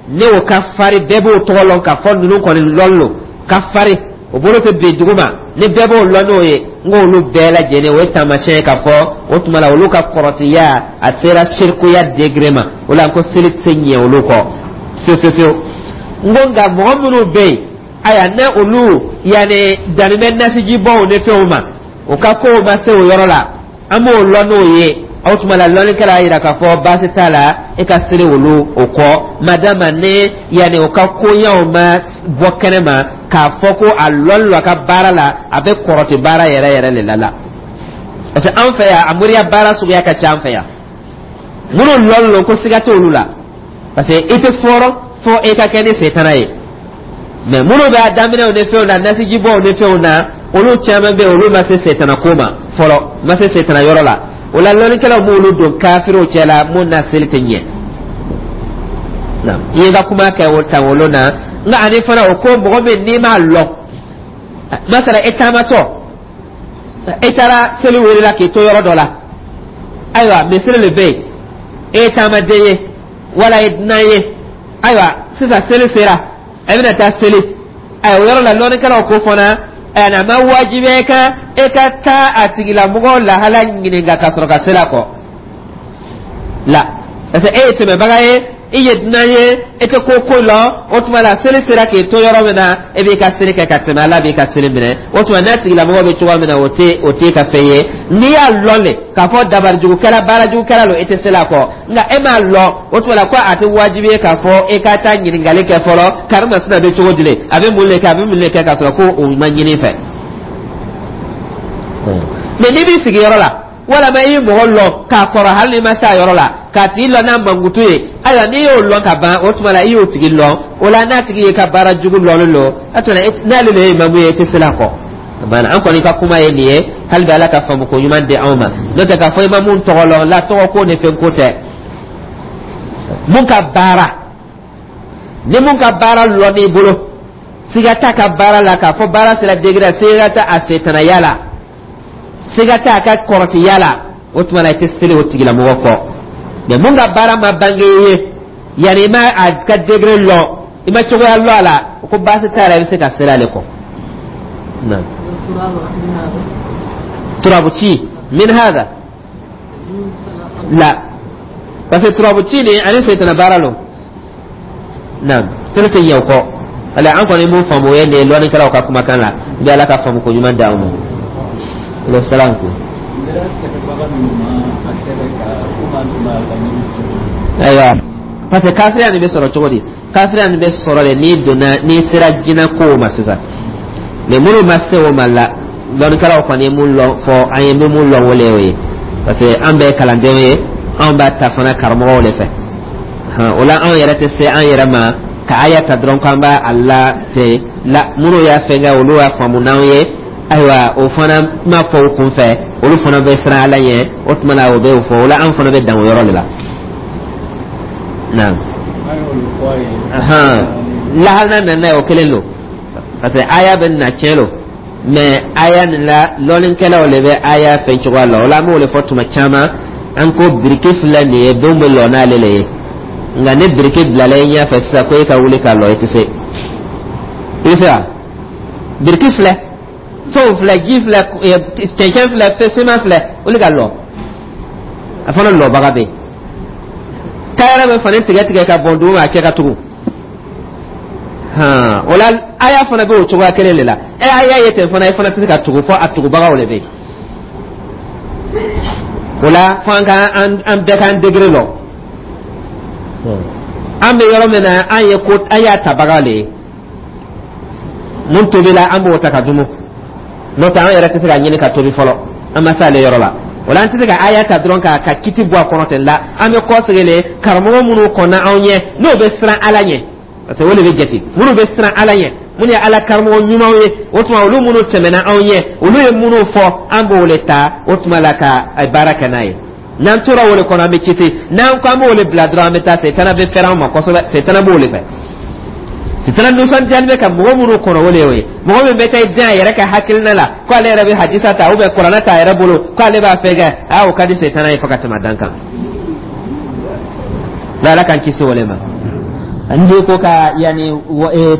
Speaker 1: ne o ka fari, bɛɛ b'o tɔgɔ lɔn k'a fɔ ninnu kɔni lɔnnen don ka fari, o bolo tɛ bin dugu ma, ni bɛɛ b'o lɔn n'o ye, n k'olu bɛɛ lajɛlen, o ye taamasiyɛn ye k'a fɔ o tuma la olu ka kɔrɔtiya a sera sirikuya degré ma. O la, n ko seli tɛ se ɲɛ olu kɔ fiyewu fiyewu fiyewu. N ko nka mɔgɔ minnu bɛ yen, ayiwa, ne olu yanni danni bɛ nasijibɔw ni fɛnw ma, o ka kow ma se o yɔrɔ la, an b'o lɔn n'o ye. O tuma la, lɔnnikɛla y'a jira k'a fɔ baasi t'a la e ka seli olu o kɔ, madama ne yanni o ka koɲɛw ma bɔ kɛnɛ ma k'a fɔ ko a lɔnni a ka baara la, a bɛ kɔrɔti baara yɛrɛ yɛrɛ de la. Parce que an fɛ yan, a moriya baara suguya ka ca an fɛ yan. Minnu lɔnni lo ko siga t'olu la, parce que i tɛ fɔrɔ fo e ka kɛ ni setana ye. Mɛ minnu bɛ a daminɛw ni fɛnw na, nasijibɔw ni fɛnw na, olu caman bɛ yen, olu ma se setana ko ma fɔlɔ, ma se setana yɔrɔ la. O la, lɔnnikɛlaw b'olu don kafiriw cɛ la mun na seli tɛ ɲɛ. I ye ka kuma kɛ o tan olu na. Nka ani fana o ko mɔgɔ min n'i m'a lɔn, masala e taamatɔ, e taara seli welela k'i to yɔrɔ dɔ la, ayiwa, misiri le bɛ yen, e ye taamaden ye wala e dunan ye, ayiwa, sisan seli sera, e bɛna taa seli. Ayiwa, o yɔrɔ la, lɔnnikɛlaw ko fana a ma wajibiya e kan e ka taa a tigilamɔgɔ lahala ɲininka ka sɔrɔ ka seli a kɔ la, parce que e ye tɛmɛbaga ye, i ye dunan ye, e tɛ ko ko lɔn. O tuma la, seli sera k'i to yɔrɔ min na, e b'i ka seli kɛ ka tɛmɛ, Ala b'i ka seli minɛ. O tuma n'a tigilamɔgɔ bɛ cogoya min na, o t'e ka fɛn ye. N'i y'a lɔn le k'a fɔ dabarijugukɛla, baarajugukɛla don, e tɛ seli a kɔ. Nka e m'a lɔn, o tuma la ko a tɛ wajibi ye k'a fɔ e ka taa ɲininkali kɛ fɔlɔ, karimasina bɛ cogo di le, a bɛ mun le kɛ, a bɛ mun le kɛ, k'a sɔrɔ ko o ma ɲini i fɛ. Mɛ n'i b'i sigi yɔrɔ la, walama i ye mɔgɔ lɔn k'a kɔrɔ, hali n'i ma se a yɔrɔ la, k'a tigi lɔn n'a mankutu ye, ayiwa, n'i y'o lɔn ka ban, o tuma la i y'o tigi lɔn. O la, n'a tigi ye ka baara jugu lɔnnen don, a tuma n'ale de ye imamu ye, i tɛ seli a kɔ. A banna. An kɔni ka kuma ye nin ye. Hali bi, Ala ka faamu ko ɲuman di anw ma. N'o tɛ, k'a fɔ imamu tɔgɔ lɔn la, tɔgɔ ko ni fɛn ko tɛ. Mun ka baara ni mun ka baara lɔn n'i bolo. Siga t'a ka baara la k'a fɔ baara sera degré, siga t'a a setanaya la, siga t'a ka kɔrɔtiya la, o tuma na i tɛ seli o tigilamɔgɔ kɔ. Mais mun ka baara ma bange i ye, yanni i ma a ka degré lɔn, i ma cogoya lɔn a la, o ko baasi t'a la, i bɛ se ka seli ale kɔ. Turabu ci min hada la, parce que turabu ci ni ani setana baara lo. Naam, seli tɛ ɲɛ o kɔ. Wala an kɔni mun faamu, o ye nin ye lɔnnikɛlaw ka kumakan la. N bɛ Ala ka faamu ko ɲuman d'anw ma. Alo salam ko. Ayiwa, parce que kafiriya nin bɛ sɔrɔ cogo di? Kafiriya nin bɛ sɔrɔ de n'i donna, n'i sera jinɛ kow ma sisan. Mais minnu ma se o ma la, lɔnnikɛlaw kɔni ye mun lɔn fɔ an ye, bɛ mun lɔn, o le y'o ye, parce que an bɛɛ ye kalandenw ye, anw b'a ta fana karamɔgɔw de fɛ. O la anw yɛrɛ tɛ se an yɛrɛ ma ka aya ta dɔrɔn k'an b'a a la ten la. Minnu y'a fɛn kɛ, olu y'a faamu n'anw ye. Ayiwa, o fana ma fɔ o kun fɛ, olu fana bɛ siran Ala ɲɛ, o tuma na o bɛ o fɔ. O la an fana bɛ dan o yɔrɔ de la. Naam, lahala nana ye, o kelen don, parce que aya bɛ na tiɲɛ don, mais aya nin la, lɔnnikɛlaw de bɛ aya fɛn cogoya la. O la an b'o de fɔ tuma caman, an ko biriki filɛ nin ye, denw bɛ lɔ n'ale le ye. Nka ni biriki bilala i ɲɛfɛ sisan ko e ka wuli ka lɔ, i tɛ se. I bɛ se wa? Biriki filɛ, fɛnw filɛ, ji filɛ, cɛncɛn filɛ, siman filɛ, wuli ka lɔ. A fana lɔbaga bɛ yen. Tayɛrɛ bɛ fani tigɛ tigɛ ka bɔn dugu ma, a cɛ ka tugun. O la aya fana bɛ o cogoya kelen de la. Ɛ, aya ye ten fana, i fana tɛ se ka tugu fɔ a tugubagaw de bɛ yen. O la fo an ka an bɛɛ k'an degré lɔn. An bɛ yɔrɔ min na, an ye ko an y'a tabaga le ye, mun tobila, an b'o ta ka dumu. N'o tɛ, an yɛrɛ tɛ se ka ɲini ka tobi fɔlɔ, an ma se ale yɔrɔ la. O la an tɛ se ka aya ta dɔrɔn ka kiti bɔ a kɔnɔ ten la. An bɛ kɔsegin le karamɔgɔ minnu kɔnna anw ɲɛ, n'o bɛ siran Ala ɲɛ, parce que o de bɛ jate, minnu bɛ siran Ala ɲɛ, minnu ye Ala karamɔgɔ ɲumanw ye. O tuma olu minnu tɛmɛna anw ɲɛ, olu ye minnu fɔ, an b'o le ta o tuma la ka baara kɛ n'a ye. N'an tora o de kɔnɔ, an bɛ kisi. N'an ko an b'o de bila dɔrɔn, an bɛ taa, setana bɛ fɛrɛ an ma kosɛbɛ. Setana b'o de fɛ. Setana nisɔndiyalen bɛ ka mɔgɔ minnu kɔnɔ, o de y'o ye. Mɔgɔ min bɛ taa i den a yɛrɛ ka hakilina la ko ale yɛrɛ bɛ hadisa ta ou bien kuranɛ ta a yɛrɛ bolo ko ale b'a fɛ kɛ, aa, o ka di setana ye fo ka tɛmɛ dan kan. N'Ala k'an kisi o de ma.
Speaker 2: N'i ko ka yanni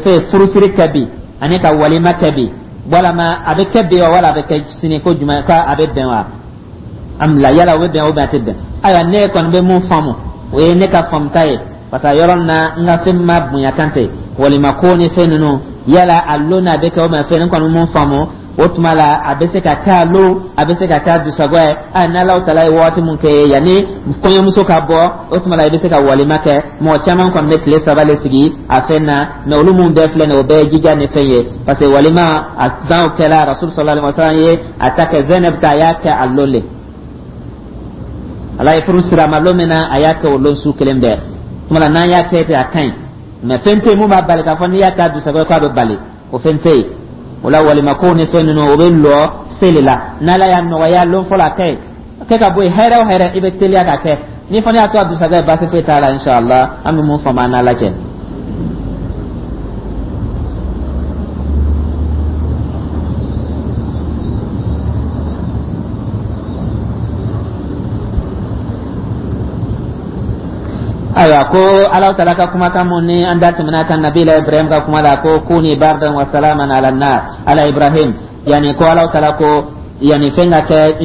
Speaker 2: fɛn furusiri kɛ bi ani ka walima kɛ bi, walama a bɛ kɛ bi wa, wala a bɛ kɛ sini, ko jumɛn ka a bɛ bɛn wa? An bila yala o bɛ bɛn o bɛn a tɛ bɛn. Ayiwa, ne kɔni bɛ mun faamu, o ye ne ka faamuta ye, parce que yɔrɔ min na n ka fɛn ma bonya kan tɛ walima ko ni fɛn ninnu, yala a lon n'a bɛ kɛ o ma fɛn, ne kɔni mun faamu o tuma la, a bɛ se ka kɛ a lon, a bɛ se ka kɛ a dusagɔ ye. A n'Alaw tala ye waati mun kɛ yanni kɔɲɔmuso ka bɔ, o tuma la i bɛ se ka walima kɛ. Mɔgɔ caman kɔni bɛ tile 3 le sigi a fɛn na, mais olu mun bɛɛ filɛ nin ye, o bɛɛ ye jija ni fɛn ye, parce que walima a danw kɛla Rasul sallallahu alaihi wa sallam ye a ta kɛ Zainab ta, a y'a kɛ a lon le. Ala ye furu sira a ma lon min na, a y'a kɛ o lon su kelen bɛɛ. Tuma la n'an y'a kɛ ten, a ka ɲi, mais fɛn tɛ yen mun b'a bali k'a fɔ n'i y'a kɛ a dusagɔ ye k'a bɛ bali, o fɛn tɛ yen. O la walima ko ni fɛn ninnu, o bɛ lɔ seli la. N'Ala y'a nɔgɔya lon fɔlɔ, a kɛ yen kɛ ka bɔ yen, hɛrɛ o hɛrɛ, i bɛ teliya ka kɛ. N'i fana y'a to a dusagɔ ye, baasi foyi t'a la, inshallah. An bɛ mun faamu an n'Ala cɛ. Ayiwa, ko Ala taala ka kumakan mun ni an da tɛmɛna kan nabila Ibrahim ka kuma la, ko kuni bardan wa salaman ala nar ala Ibrahim, yani ko Ala taala ko yani fɛn ka kɛ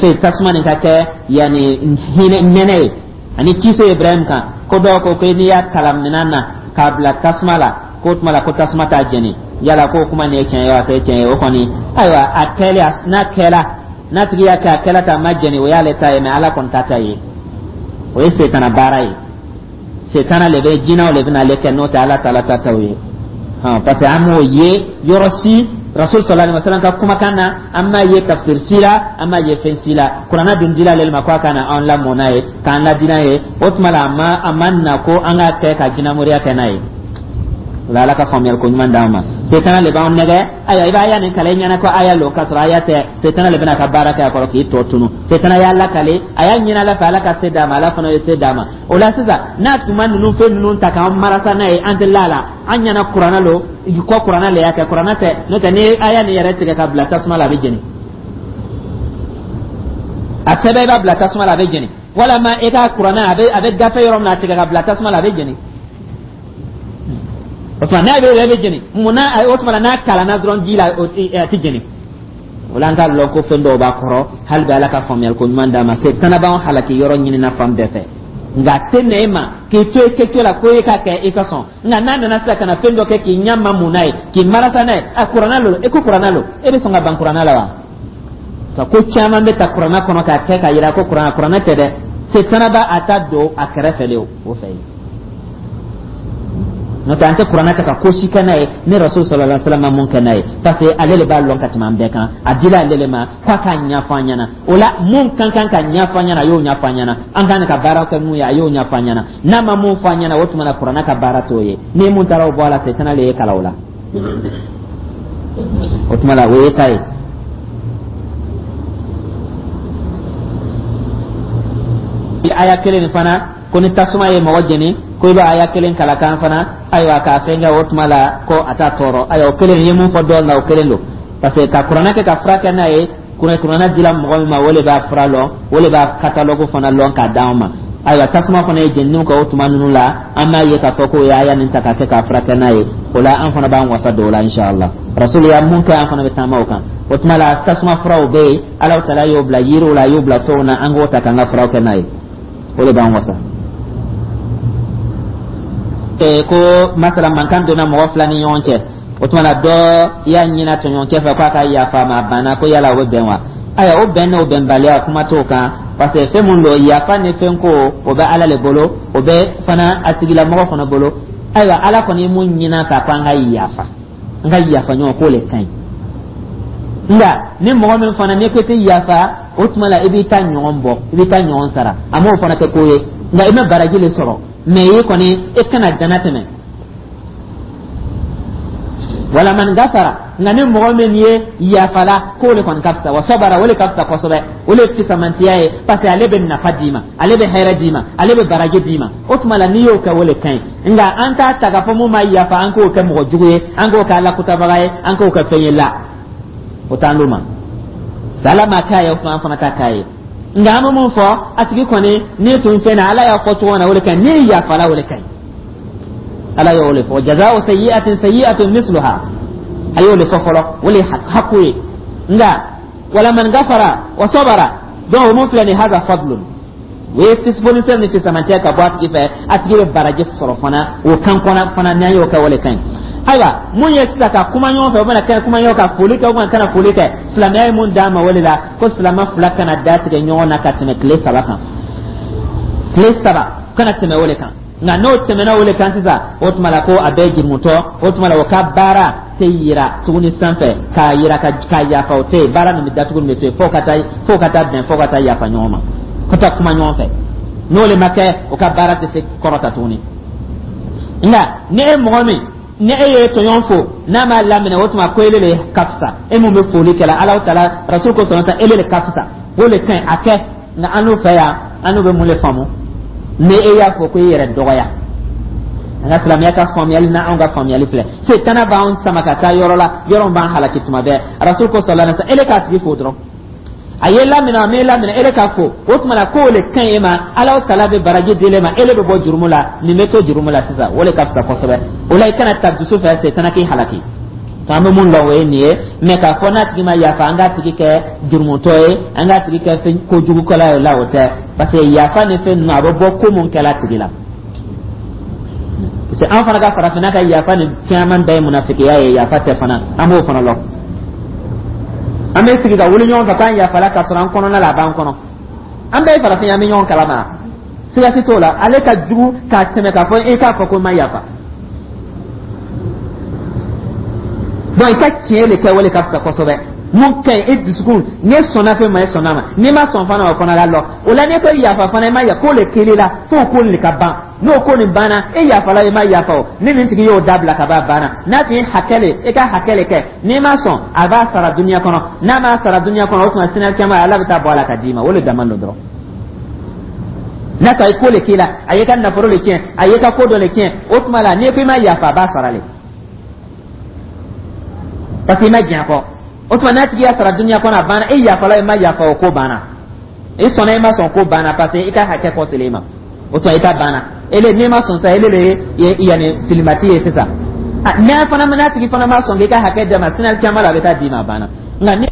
Speaker 2: fɛn tasuma nin ka kɛ yani hinɛ nɛnɛ ye ani kisi Ibrahim kan. Ko dɔw ko ko n'i y'a kalan minɛn na k'a bila tasuma la, k'o tuma la ko tasuma t'a jeni. Yala k'o kuma nin ye tiɲɛ ye wa, a tɛ tiɲɛ ye? O kɔni, ayiwa, a kɛlen, n'a kɛla, n'a tigi y'a kɛ, a kɛla ta a ma jeni, o y'ale ta ye, mais Ala kɔni t'a ta ye. O ye setana baara ye, setana le bɛ, jinɛw le bɛna ale kɛ, n'o tɛ Ala taala ta t'o ye. Hɔn, parce que an m'o ye yɔrɔ si Rasul sallallahu alaihi wasallam ka kumakan na, an m'a ye tafsir si la, an m'a ye fɛn si la. Kuranna dun dila ale ma ko a ka na an lamɔ n'a ye, k'an ladi n'a ye. O tuma la a ma na ko an k'a kɛ ka jinɛmoriya kɛ n'a ye. O la, Ala ka faamuyali ko ɲuman d'an ma. Setana le b'anw nɛgɛ. Ayiwa, i b'a aya nin kalan i ɲɛna ko aya lo, k'a sɔrɔ aya tɛ. Setana le bɛna ka baara kɛ a kɔrɔ k'i tɔ tunu. Setana y'a lakale, a y'a ɲini Ala fɛ, Ala ka se d'a ma, Ala fana ye se d'a ma. O la sisan, n'a tun ma ninnu fɛn ninnu ta k'an marasa n'a ye, an tɛ la la an ɲɛna kuranna lo ko kuranna le y'a kɛ. Kuranna tɛ. N'o tɛ, ni aya nin yɛrɛ tigɛ ka bila tasuma la, a bɛ jeni. A sɛbɛn, i b'a bila tasuma la, a bɛ jeni. Walama i ka kuranna a bɛ gafe yɔrɔ min na, a tigɛ ka bila tasuma la, a bɛ jeni. O tuma n'a bɛ yɛrɛ bɛ jeni munna? O tuma n'a kalanna dɔrɔn ji la, a tɛ jeni. O la, an k'a lɔn ko fɛn dɔw b'a kɔrɔ. Hali bi, Ala ka faamuyali ko ɲuman d'a ma. Setana b'anw halaki yɔrɔ ɲinina fan bɛɛ fɛ, nka a tɛ na e ma k'i to i kɛcogo la ko e ka kɛ i ka sɔn. Nka n'a nana sisan ka na fɛn dɔ kɛ k'i ɲɛ ma mun n'a ye, k'i marasa n'a ye, a kuranna lo, e ko kuranna lo, e bɛ sɔn ka ban kuranna la wa? Ka ko caman bɛ ta kuranna kɔnɔ k'a kɛ k'a yira ko kuranna, kuranna tɛ dɛ. Setana b'a a ta don a kɛrɛfɛ de o fɛ yen. N'o tɛ, an tɛ kuranna ta ka ko si kɛ n'a ye ni Rasul sallallahu alaihi wasallam ma mun kɛ n'a ye, parce que ale de b'a lɔn ka tɛmɛ an bɛɛ kan. A dila ale de ma k'a k'a ɲɛfɔ an ɲɛna. O la, mun kan kan ka ɲɛfɔ an ɲɛna, a y'o ɲɛfɔ an ɲɛna. An kan ka baara kɛ mun ye, a y'o ɲɛfɔ an ɲɛna. N'a ma mun fɔ an ɲɛna, o tuma na kuranna ka baara t'o ye. Ni mun taara o bɔ a la, setana le ye kalan o la. O tuma la, o ye ta ye. Aya kelen nin fana ko ni tasuma ye mɔgɔ jeni, ko i b'a aya kelen kala kan fana, ayiwa, k'a fɛn kɛ, o tuma la ko a t'a tɔɔrɔ. Ayiwa, o kelen ye mun fɔ dɔɔnin na, o kelen don, parce que ka kuranɛ kɛ ka fura kɛ n'a ye, kuranɛ dila mɔgɔ min ma, o de b'a fura lɔn, o de b'a catalogue fana lɔn k'a d'anw ma. Ayiwa, tasuma fana ye jeniniw kɛ o tuma ninnu la, an b'a ye k'a fɔ k'o ye aya nin ta k'a kɛ k'a furakɛ n'a ye. O la, an fana b'an wasa don o la, inshallah. Rasul ya mun kɛ, an fana bɛ taama o kan. O tuma la, tasuma furaw bɛ yen, Ala taala y'o bila yiriw la, a y'o bila fɛnw na, an k'o ta k'an ka furaw kɛ n'a ye, o de b'an wasa. Ko masala mankan donna mɔgɔ fila ni ɲɔgɔn cɛ, o tuma na dɔ y'a ɲini a tɔɲɔgɔnkɛ fɛ k'a ka yafa a ma, a banna, ko yala o bɛ bɛn wa? Ayiwa, o bɛn n'o bɛnbaliya, kuma t'o kan, parce que fɛn mun don, yafa ni fɛn ko, o bɛ Ala le bolo, o bɛ fana a tigilamɔgɔ fana bolo. Ayiwa, Ala kɔni ye mun ɲini an fɛ, ko an ka yafa, an ka yafa ɲɔgɔn, k'o le ka ɲi. Nka ni mɔgɔ min fana n'i ko i tɛ yafa, o tuma la i b'i ta ɲɔgɔn bɔ, i b'i ta ɲɔgɔn sara. A m'o fana kɛ ko ye, nka i ma baraji le sɔrɔ, mais i kɔni e kana dana tɛmɛ. Wala man gafara, nka ni mɔgɔ min ye yafala, k'o le kɔni ka fisa. Wa sabara, o le ka fisa kosɛbɛ, o le ye fisamantiya ye, parce que ale bɛ nafa d'i ma, ale bɛ hɛrɛ d'i ma, ale bɛ baraji d'i ma. O tuma la, n'i y'o kɛ, o le ka ɲi. Nka an t'a ta k'a fɔ mun ma yafa, an k'o kɛ mɔgɔ jugu ye, an k'o kɛ alakutabaga ye, an k'o kɛ fɛn ye la, o t'an d'o ma. Ala ma k'a ye, o tuma an fana t'a k'a ye. Nka an bɛ mun fɔ a tigi kɔni, n'i tun fɛn na, Ala y'a fɔ cogo min na, o de ka ɲi. N'i yafala, o de ka ɲi. Ala y'o de fɔ: jaza'u sayyi'atin sayyi'atun misluha. A y'o de fɔ fɔlɔ, o de ye haku ye. Nka wala man gafara wa sabara, donc o mun filɛ nin, haza fadlun, o ye fonisɛn ni fisamantiya ka bɔ a tigi fɛ, a tigi bɛ baraji sɔrɔ fana o kan kɔnɔ fana. N'an y'o kɛ, o de ka ɲi. Ayiwa, mun ye sisan ka kuma ɲɔgɔn fɛ, o bɛna kɛ kuma ɲɔgɔn ka foli kɛ, o bɛna kana foli kɛ, silamɛya ye mun d'an ma, o de la ko silamɛ fila kana da tigɛ ɲɔgɔn na ka tɛmɛ tile 3 kan. Tile 3 kana tɛmɛ o de kan. Nka n'o tɛmɛna o de kan sisan, o tuma la ko a bɛɛ jurumutɔ. O tuma la, o ka baara tɛ yira tuguni sanfɛ k'a yira ka yafa, o tɛ yen. Baara nin bɛ datugu, nin bɛ to yen fo ka taa bɛn, fo ka taa yafa ɲɔgɔn ma, ka taa kuma ɲɔgɔn fɛ. N'o le ma kɛ, o ka baara tɛ se kɔrɔta tuguni. Nka ni e mɔgɔ min, ni e ye tɔɲɔgɔn fo, n'a m'a laminɛ, o tuma ko ele le ka fisa. E mun bɛ foli kɛla, Ala taala Rasul ko sɔrɔ ta, ele le ka fisa, o le ka ɲi a kɛ. Nka an n'u fɛ yan, an n'u bɛ mun le faamu? Ni e y'a fɔ ko i yɛrɛ dɔgɔya, an ka silamɛya ka faamuyali na, anw ka faamuyali filɛ, setana b'anw sama ka taa yɔrɔ la, yɔrɔ min b'an halaki tuma bɛɛ. Rasul ko sallallahu alaihi wasallam, ele k'a tigi fo dɔrɔn, a ye laminɛ, a m'e laminɛ, ele k'a fo, o tuma na k'o le ka ɲi e ma. Ala taala bɛ baraji di e ma, ele bɛ bɔ jurumu la, nin bɛ to jurumu la sisan, o le ka fisa kosɛbɛ. O la, i kana ta dusu fɛ setana k'i halaki. An bɛ mun lɔn, o ye nin ye. Mais k'a fɔ n'a tigi ma yafa, an k'a tigi kɛ jurumutɔ ye, an k'a tigi kɛ fɛn kojugukɛla ye la, o tɛ, parce que yafa ni fɛn ninnu, a bɛ bɔ ko mun kɛla a tigi la. Parce que an fana ka farafinna ka yafa ni caman bɛɛ ye munafikiya ye, yafa tɛ fana, an b'o fana lɔn. An bɛ sigi ka wuli ɲɔgɔn fɛ k'an yafala, k'a sɔrɔ an kɔnɔna la, a b'an kɔnɔ. An bɛɛ ye farafin ye, an bɛ ɲɔgɔn kalama, siga si t'o la. Ale ka jugu k'a tɛmɛ k'a fɔ e k'a fɔ ko n ma yafa. Donc i ka tiɲɛ de kɛ, o de ka fisa kosɛbɛ. Mun ka ɲi e dusukun, n'e sɔnna fɛn ma, e sɔnna ma, n'i ma sɔn fana, o fana la lɔ. O la, n'e ko yafa fana, i ma yafa, k'o le kelen la, f'o ko le ka ban. N'o ko nin banna, e yafala, i ma yafa o, ni nin tigi y'o dabila ka ban, a banna. N'a tun ye hakɛ le, e ka hakɛ le kɛ, n'i ma sɔn, a b'a sara duniya kɔnɔ. N'a m'a sara duniya kɔnɔ, o tuma sini caman Ala bɛ taa bɔ a la ka d'i ma. O le dama don dɔrɔn. N'a sɔrɔ a ye ko le k'i la, a y'i ka nafolo le tiɲɛ, a y'i ka ko dɔ le tiɲɛ, o tuma la n'i ko i ma yafa, a b'a sara le, parce que i ma diɲɛ kɔ. O tuma n'a tigi y'a sara duniya kɔnɔ, a banna. E yafala, i ma yafa o, ko banna. I sɔnna, i ma sɔn, ko banna, parce que i ka hakɛ kɔ selen i ma. O tuma i ta banna. Ele n'i ma sɔn sa, ele le ye yanni filimati ye sisan. N'a fana, n'a tigi fana ma sɔn k'i ka hakɛ d'a ma, sini caman la a bɛ taa d'i ma, a banna. Nka ni